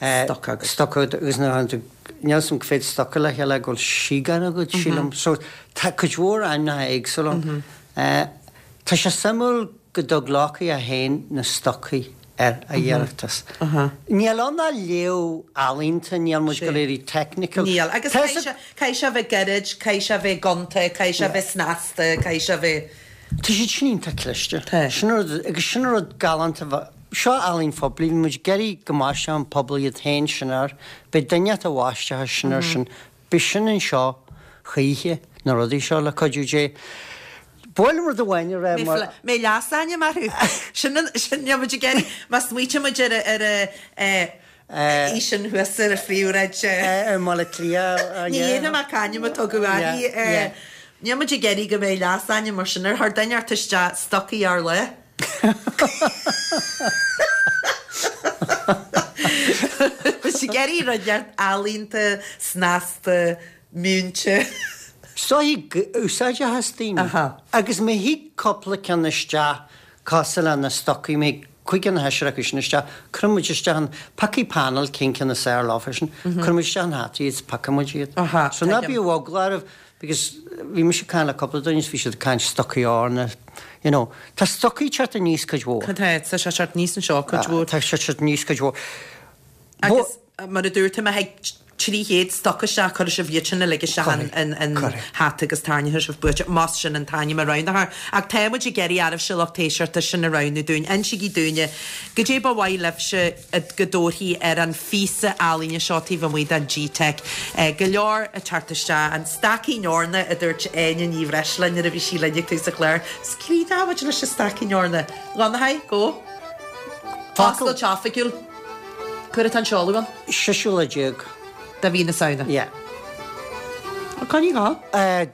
eh, Stoc agat. Stoc agat agus nuair a chuireann tú níl sam féad stoca le chéile go bhfuil síogan agat sílim. So tá cuid mhór ainmneacha éagsúla ann. Eh, Tá sé suimiúil go dtug Lochie a haon na stocaí ar a iarratas. Níl ann ná léamh ealaíonta, níl muid go léirí technical. Níl, agus Tá sa- caithfidh sé bheith gairid, caithfidh sé bheith gonta, caithfidh sé bheith snasta, caithfidh sé bheith... Tá siad sin iontach cliste. Tá. Sin rud agus sin rud galánta Seo ealaín phoiblí, bhí muid ag iarraidh go mbaistfeadh an pobal iad féin sin air, beidh duine a bhaistfeadh sin air sin, beidh sin anseo choíche, na rudaí seo le cuidiú Dé. Ba mhaith liom rud amháin a rá mar. Mbeidh leasainm orthu. Sin an, sin, níl muid ag iarraidh, má smaoitíonn muid ar a, ar a, í sin thuas ar a phríomhshráid. I mBaile Átha Cliath. Ní dhéanfaidh mé c'ainm a tugadh uirthi. Níl muid ag iarraidh go mbeidh leasainm mar sin ar chuir duine ort isteach stocaí ár lá. Muid ag iarraidh rud inteacht ealaíonta, snasta, múinte. Is dóigh úsáideach as daoine. Agus má thig cúpla ceann isteach cosúil le na stocaí, má thig cúig nó seisear acu sin isteach, cuirfidh muid isteach an, piocfaidh panel cén ceann is fearr leofa sin, cuirfidh muid isteach an hata iad is piocfaidh muid iad. So ná bíodh eagla oraibh because bhí mise ag caint le cúpla duine is bhí siad ag caint stocaí eorna, you know. Tá stocaí ag teacht aníos cuid mhór. Tá, tá sé ag teacht aníos anseo cuid mhór. Tá sé ag teacht aníos cuid mhór. Agus mar a dúirt tú, má thig trí chéad stoca isteach, cuirfidh sibh iad sin uilig isteach in in hata agus tarraingeoidh sibh buaiteoir, más sin an t-ainm a roghnófar. Ach tá muid ag iarraidh oraibhse, lucht éisteachta, sin a roghnú dúinn. Insígí dúinne goidé ba mhaith libhse go dtabharfaí ar an phíosa ealaíne seo taobh amuigh den G-Teic. Go leor ag teacht isteach. An Staicín Eorna, a dúirt Áine Ní Bhreisleáin nuair a bhí sí linn ag tús an chláir. Is críochnóidh muid leis an Staicín Eorna. Dhonnchadha, go. Oscailt oifigiúil. Cá huair atá an seoladh ann? Seisiú lá déag. De mhí na Samhna. Yeah. Coinnigh dhó.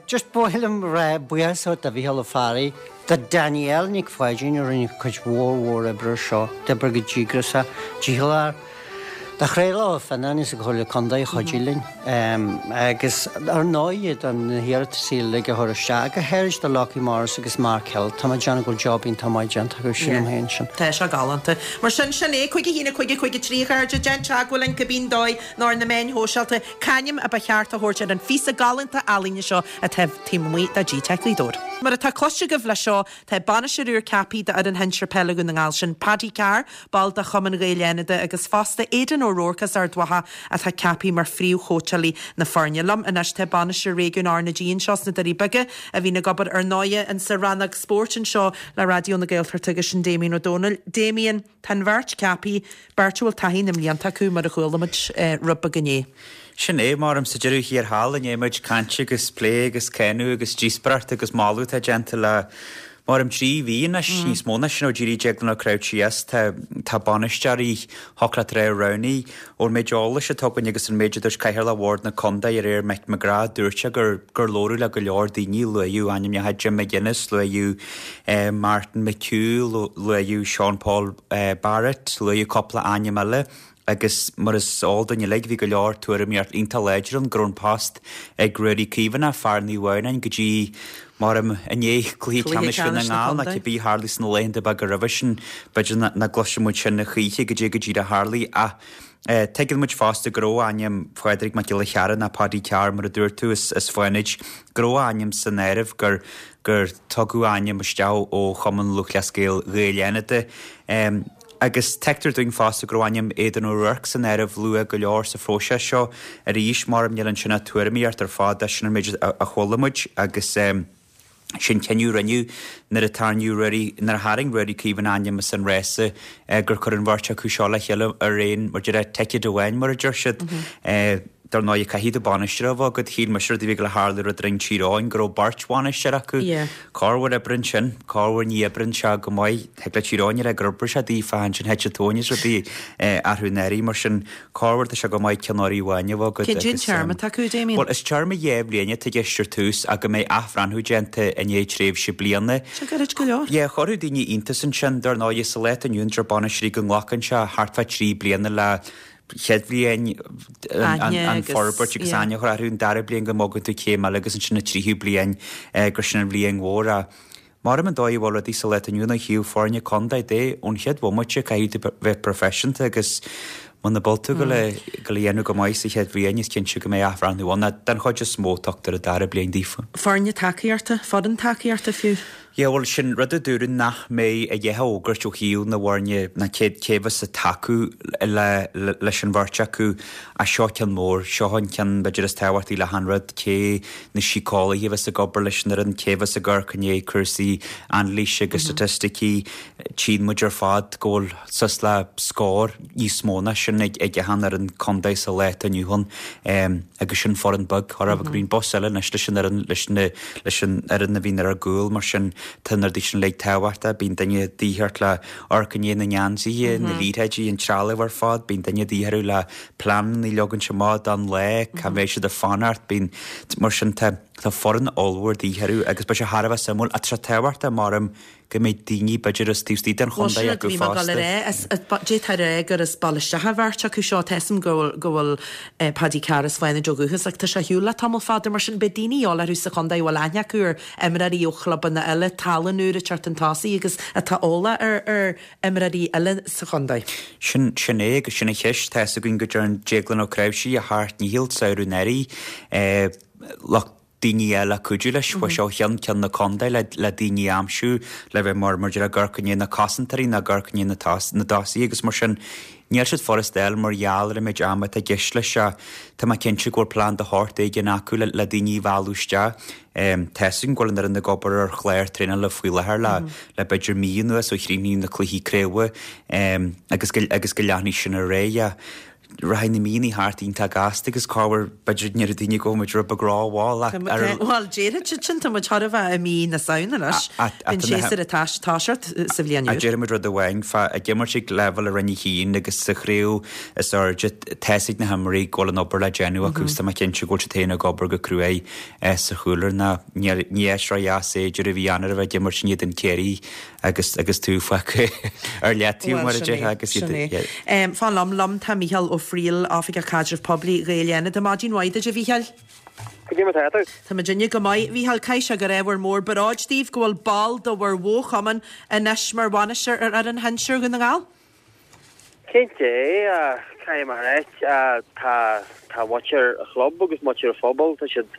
Just ba mhaith liom rá buíochas a thabhairt do Mhícheál Ó Fearraigh, do Danielle Nic Pháidín a rinne cuid mhór mhór oibre ar seo, d'oibrigh go díograiseach, dícheallach, do Chraoladh Ó Fionnáin is an Chomhairle Contae a chuidigh linn, agus ar ndóigh do na hiarratasaí uilig a chuir isteach, go háirid do Locky Morris agus Mark Hill, tá mé ag déanamh go bhfuil job iontach maith déanta acu, sílim féin sin. Tá sé galánta. Mar sin, sin é, cúig a haon, a cúig, a cúig a trí, a chairde, déan teagmháil linn cibé dóigh nó ar na meáin shóisialta, c'ainm a ba cheart a thabhairt ar an phíosa galánta ealaíne seo atá taobh amuigh de G-Teic Ghaoth Dobhair. Mar atá cloiste agaibh leis seo, tá bainisteoir úr ceaptha d'fhoireann shinsir peile Dhún na nGall, sin Paddy Carr, ball de Chumann Ghaeil Fhánada agus fosta Aidan O'Rourke as Ard Mhacha atá ceaptha mar phríomhchóitseálaí na foirne. Liom anois tá bainisteoir réigiúin R na G anseo sna Doirí Beaga a bhíonn ag obair ar ndóighe insa rannóg spóirt anseo le Raidió na Gaeltachta agus sin Damien Ó Dónaill. Damien, tá an bheirt ceaptha, beirt a bhfuil taithí na mblianta acu mar a chuala muid rud beag inné. Sin é, maram sa deireadh thiar thall i ndiaidh muid cainte agus plé agus cáineadh agus díospoireacht agus moladh atá déanta le maram trí mhí anois, níos mó ná sin ó d'éirigh Deaglán Ó Craith síos. Tá tá bainisteoirí Choclát Trá roghnaithe. Ón méid eolais atá againn agus an méid a dúirt Cathaoirleach Bhord na Contae aréir Mick McGrath, dúirt sé gur gur labhradh le go leor daoine, luaíodh ainmneacha Jim McGuinness, luaíodh Martin McHugh, luaíodh Sean Paul Barrett, luaíodh cúpla ainm eile. Agus mar is eol dúinn uilig, bhí go leor tuairimíocht iontach láidir ann go raibh an post ag Ruairí Caomhánach, fear Naomh Adhamhnáin, go dtí, maram, i ndiaidh Cluiche Ceannais Dhún na nGall, nó cibé a tharlaigh sna laethanta beaga roimhe sin, b'fhéidir nach gcloisfidh muid sin a choíche goidé go díreach a tharlaigh. Ach tuigeann muid fosta go raibh ainm Phádraig Mac Giolla Chearra, nó Paddy Carr mar a dúirt tú, as as Fánaid, go raibh a ainm san áireamh, gur gur tugadh ainm isteach ó Chumann Lúthchleas Gael Ghaeil Fhánada. Agus tuigtear dúinn fosta go raibh ainm Aidan O'Rourke san áireamh luath go leor sa phróiseas seo arís, maram níl ansin ach tuairimíocht ar fad, sin an méid a chuala muid agus sin cinneadh a rinneadh nuair a tarraingíodh Ruairí, nuair a tharraing Ruairí Caomhánach a ainm as an rása gur cuireadh an bheirt acu seo le chéile ar aon, mar deir, ticéad amháin mar a deir siad. Dar ndóigh, caithfidh tú bainisteoir a bheith agat. Shíl mise rud a bhí ag gabháil a tharlú roimh Roinn Tír Eoghain, go raibh beirt bhainisteoir acu. Corruair oibríonn sin, corruair ní oibríonn sé go maith. Thig le Tír Eoghain a rá gur oibrigh sé daofa ansin thit an tóin as rudaí athrú an airí. Mar sin, corruair tá sé go maith ceannairí amháin a bheith agat. Cén agus téarma atá acu, Damien? Bhuel, is téarma dhá bhliain atá i gceist ar tús ach go mbeidh athbhreathnú déanta i ndiaidh tréimhse bliana. Sin gairid go leor. Yeah, chuirfeadh daoine iontas ansin. Dar ndóigh, sa lá atá inniu ann, deir bainisteoirí go nglacann sé thart fá trí bliana le chéad bhliain an forbairt agus aithne a chur orthu, an dara bliain go mbogann tú céim eile agus ansin an tríú bliain gur sin an bhliain mhór. Ach maram an dóigh a bhfuil rudaí sa lá atá inniu ann ó thaobh foirne contae de, ón chéad bhomaite caithfidh tú bheith proifisiúnta agus muna bhfuil tú ag gabháil a dhéanamh go maith sa chéad bhliain is cinnte go mbeidh athbhreathnú ann. Ach den chuid is mó tugtar an dara bliain daofa. Foirne tacaíochta, foireann tacaíochta fiú. Yeah, bhuel, sin rud a dúradh nach mbeidh a dhath á fhógairt ó thaobh na bhfoirne ná cé cé bheas ag tacú le leis an bheirt acu ach seo ceann mór, seo an ceann b'fhéidir is tábhachtaí le achan rud, cé na síceolaithe a bheas ag obair leis an fhoireann, cé bheas ag amharc i ndiaidh cúrsaí anailíse agus staitisticí, tchíonn muid ar fad go bhfuil suas le scór níos mó ná sin ag ag achan fhoireann contae sa lá atá inniu ann agus sin foireann beag, chóir a bheith go bhíonn bus eile anois leis an fhoireann leis na leis an fhoireann a bhíonn ar ár gcúl mar sin tá na rudaí sin uilig tábhachtach. Bíonn duine de dhíth ort le amharc i ndiaidh na ngeansaithe, na liathróidí, an trealamh ar fad. Bíonn duine de dhíth orthu le pleananna a leagaint amach don lá, cá mbeidh siad ag fanacht. Bíonn, mar sin tá, tá foireann ollmhór de dhíth orthu agus beidh sé thar a bheith suimiúil. Ach tá sé tábhachtach, maram, go mbeidh daoine b'fhéidir as taobh istigh den Bhuel, sin chontae rud a acu bhí mé ag dul a fosta. rá. Is, d'fhéadfá a rá gur as baile isteach an bheirt acu seo. Tá 'fhios a'm go bhfuil, go bhfuil Paddy Carr as Fánaid ó dhúchas ach tá sé ar shiúl le tamall fada. Mar sin, beidh daoine eol orthu sa chontae a bhfuil aithne acu ar imreoirí ó chlubanna eile, tallann úr ag teacht chun tosaigh agus atá eolach ar, ar imreoirí eile sa chontae. Sin, sin é agus sin an cheist. Tá 'fhios againn go dtearn Déaglán Ó Cnáimhsí a sheacht ndícheall samhradh anuraidh, lucht daoine eile cuidiú leis. Chuaigh sé ó cheann ceann na contae le le daoine a aimsiú le bheith mar mar a déarfá ag amharc i ndiaidh na cosantóirí nó ag amharc i ndiaidh na na dtosaithe agus mar sin níl siad furast a fháil mar gheall ar an méid ama atá i gceist leis ach tá mé cinnte go bhfuil plean de shórt éigin acu le le daoine a mhealladh isteach. Tá 'fhios againn go bhfuil an fhoireann ag obair ar chlár traenála faoi láthair le le b'fhéidir mí anuas ó chríochnaíodh na cluichí craoibhe agus go agus go leanfaidh sin ar aghaidh. Rachaidh na míonna thart iontach gasta agus corruair b'fhéidir go ndéarfaidh daoine go bhfuil muid rud beag rómhall ach ar an. Bhuel, déarfaidh siad sin, tá muid chóir a bheith i mí na Samhna anois. Bíonn séasúr ag toiseacht sa bhliain úr. Déarfaidh muid rud amháin, fá ag imirt ag leibhéal a Roinn a haon agus sa chraobh is airde, tá 'fhios ag na himreoirí go bhfuil an obair le déanamh acu is tá mé cinnte go bhfuil siad féin ag obair go cruaidh sa chúlra ná ní áit ródheas é deireadh mhí Eanáir a bheith ag imirt in éadan Ciarraí agus agus tú fágtha ar leataobh Bhuel, mar a sin é, déarfá agus sin iad é. yeah. Em, fan liom, liom tá Mícheál Ó Frighil, Oifigeach Caidrimh Poiblí Ghaeil Fhánada. Maidin mhaith duit, a Mhícheáil. Cad é mar tá tú? Tá muidinne go maith. Mhícheál, caithfidh sé gur ábhar mór bróid daoibh go bhfuil ball de bhur bhfochumann anois mar bhainisteoir ar fhoireann shinsir Dhún na nGall? Cinnte, caithfidh mé a ráit, tá tá muintir an chlub agus muintir an phobail, tá siad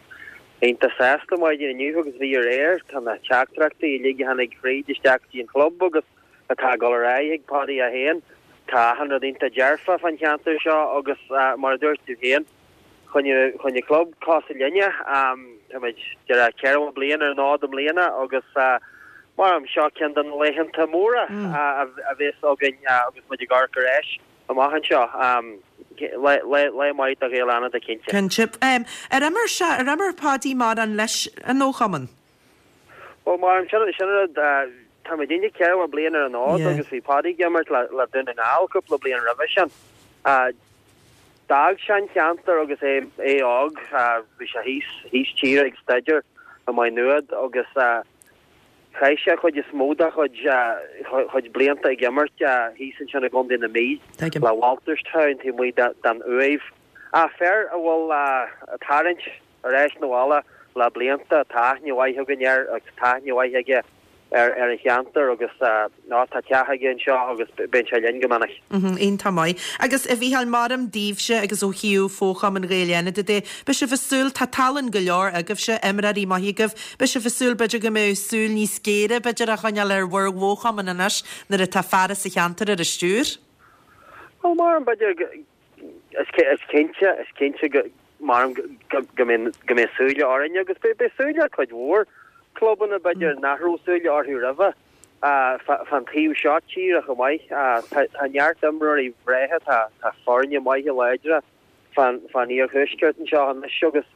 iontach sásta maidin inniu agus bhí aréir. Tá na teachtaireachtaí uilig a tháinig fríd isteach go dtí an chlub agus atá ag dul ar aghaidh ag Paddy é féin. Tá achan rud iontach dearfa fán cheantar seo agus mar a dúirt tú féin, choinnigh choinnigh club cosúil linne. Táimid deireadh ceithre bliain ar an fhód i mbliana agus mar seo ceann de na laethanta móra a bheas againn agus muid ag amharc ar ais amach anseo. Lá maith do Ghaeil Fhánada cinnte. Cinnte. Ar imir sé, ar imir Paddy mórán leis an fhochumann? Bhuel mar sin sin rud tá muid inniu ceithre bliain ar an fhód agus bhí Paddy ag imirt le le Dún na nGall cúpla bliain roimhe sin. D'fhág sé an ceantar agus é é óg, bhí sé thíos thíos tíre ag staidéar i Maigh Nuad agus chaith sé chuid is mó dá chuid chuid blianta ag imirt thíos ansin i gContae na Mí le Walterstown taobh amuigh den Uaimh. Fear a bhfuil ag tarraingt ar ais 'na bhaile le blianta, tá aithne mhaith againn air agus tá aithne mhaith aige ar ar an cheantar agus ná tá teach aige anseo agus bíonn sé linn go minic. Iontach maith. Agus a Mhícheáil, maram daoibhse agus ó thaobh Fhochumann Ghaeil Fhánada de, beidh sibh ag súil, tá tallann go leor agaibhse, imreoirí maithe agaibh, beidh sibh ag súil b'fhéidir go mbeidh súil níos géire b'fhéidir á choinneáil ar bhur bhfochumann anois nuair atá fear as an cheantar ar an stiúir? Bhuel, maram b'fhéidir go, is cinnte, is cinnte go, maram go go mbeidh súile orainn agus beidh súile ar cuid mhór clubanna b'fhéidir nach raibh súile orthu roimhe fán taobh seo tíre chomh maith. Tá neart imreoirí breátha, tá foirne maithe láidre fán fán iarthuaisceart anseo anois agus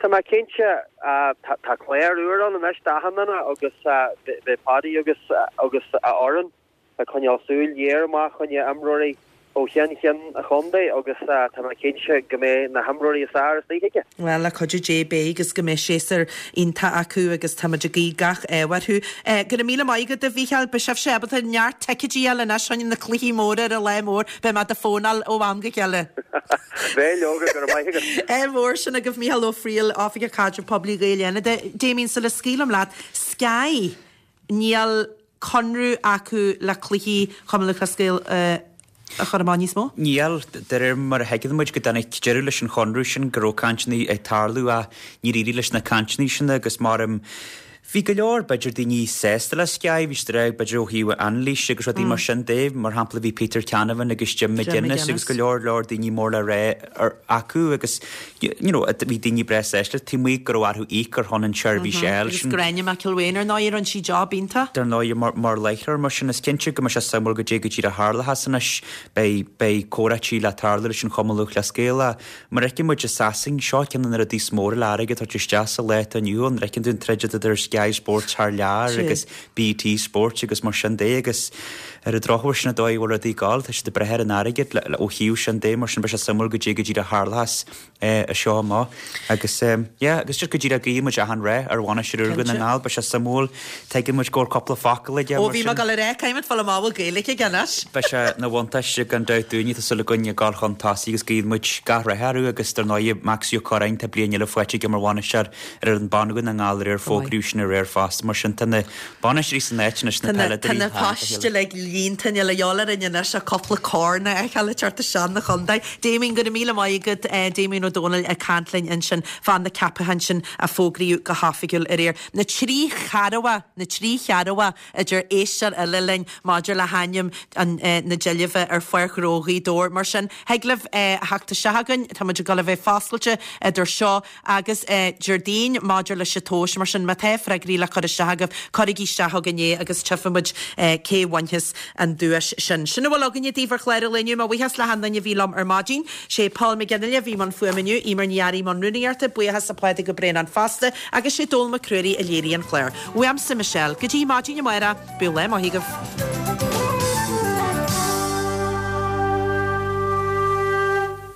tá mé cinnte tá clár úr ann anois d'achan duine agus beidh Paddy agus agus a fhoireann ag coinneáil súil ghéar amach choinne imreoirí ó cheann ceann an chontae agus tá mé cinnte go mbeidh na himreoirí is fearr istigh aige. Bhuel, le cuidiú Dé beidh agus go mbeidh séasúr iontach acu agus táimid ag guí gach ádh orthu. Go raibh míle maith agat a Mhícheáil, beidh sibhse ábalta neart ticéidí a fháil anois chun na cluichí móra ar an lá mór, beidh mé do fónáil ó am go chéile. Beidh leoga, go raibh maith agat. Ádh mór sin agaibh Mícheál Ó Frighil, Oifigeach Caidrimh Poiblí Ghaeil Fhánada. Damien, sula scaoilim leat, Sky, níl conradh acu le cluichí Chumann Lúthchleas Gael a chur amach níos mó? Níl, de réir mar a thuigeann muid go dtáinig deireadh leis an chonradh sin, go raibh cainteanna ag tarlú ach níor éirigh leis na cainteanna sin agus maram Bhí go leor b'fhéidir daoine sásta le Sky, bhí siad ag rá b'fhéidir ó thaobh anailís agus rudaí mar sin de, mar shampla bhí Peter Canavan agus Jim McGuinness agus go leor leor daoine mór le rá acu agus you know bhí daoine breá sásta taobh amuigh go raibh orthu íoc ar shon an tseirbhís a fháil. Agus Gráinne McElwain ar ndóigh rinne sí job iontach. Dar ndóigh mar mar láithreoir mar sin is cinnte go mbeidh sé suimiúil goidé go díreach a tharlóchas anois, beidh beidh comhráití le tarlú leis an Chumann Lúthchleas Gaelach. Mar a fheiceann muid i Sasain, seo ceann de na rudaí is mór le airgead a thabhairt isteach sa lá atá inniu ann, feiceann tú an troid idir Sky Sports thar lear agus BT Sports agus mar sin de agus ar an drochuair sin an dóigh a bhfuil rudaí ag gabháil, tá siad ag breith ar an airgead ó thaobh sin de mar sin beidh sé suimiúil goidé go díreach a tharlóchas as seo amach agus yeah agus just go díreach guíonn muid achan rath ar bhainisteoir úr Dhún na nGall, beidh sé suimiúil, tuigeann muid go bhfuil cúpla focal aige Ó bhí mé ag dul a rá, caithfidh muid fáil amach an bhfuil Gaeilge aige anois. Beidh sé ina bhuntáiste gan dabht dúinne, tá súil againn ag gabháil chun tosaigh agus guíonn muid gach rath orthu agus dar ndóigh Maxi Ó Curráin tá bliain eile faighte aige mar bhainisteoir ar fhoireann ban Dhún na nGall aréir fógraíodh sin aréir fosta mar sin tá na bainisteoirí san áit anois na Tá na peileadóirí tá na thar a poist chéile. uilig líonta níl a dhíobháil orainn anois ach cúpla corn a fheiceáil ag teacht isteach 'na chontae. Damien, go raibh míle maith agat Damien Ó Dónaill ag caint linn ansin fá na ceapacháin sin a fógraíodh go hoifigiúil aréir. Na trí cheathramha, na trí cheathramha idir éisteoir eile linn maidir le hainm an na deilbhe ar Pháirc Ghnó Ghaoth Dobhair. Mar sin, thig libh a theacht isteach chugainn, tá muid ag dul a bheith foscailte idir seo agus Déardaoin maidir leis an tomhas, mar sin má tá freagraí le cur isteach agaibh, cuirigí isteach chugainn é agus tchífidh muid cé bhainfeas an duais sin. Sin a bhfuil againne daoibh ar chlár an lae inniu. Mo bhuíochas le achan duine a bhí liom ar maidin. Sé Paul McGinley a bhí i mbun fuaime inniu, Eimear Ní Fhearraigh i mbun rúnaíochta, buíochas le Pádraig Ó Braonáin fosta agus sé Dónal Mac Ruairí a léirigh an clár. Uaimse Michelle, go dtí maidin amárach, bíodh lá maith agaibh.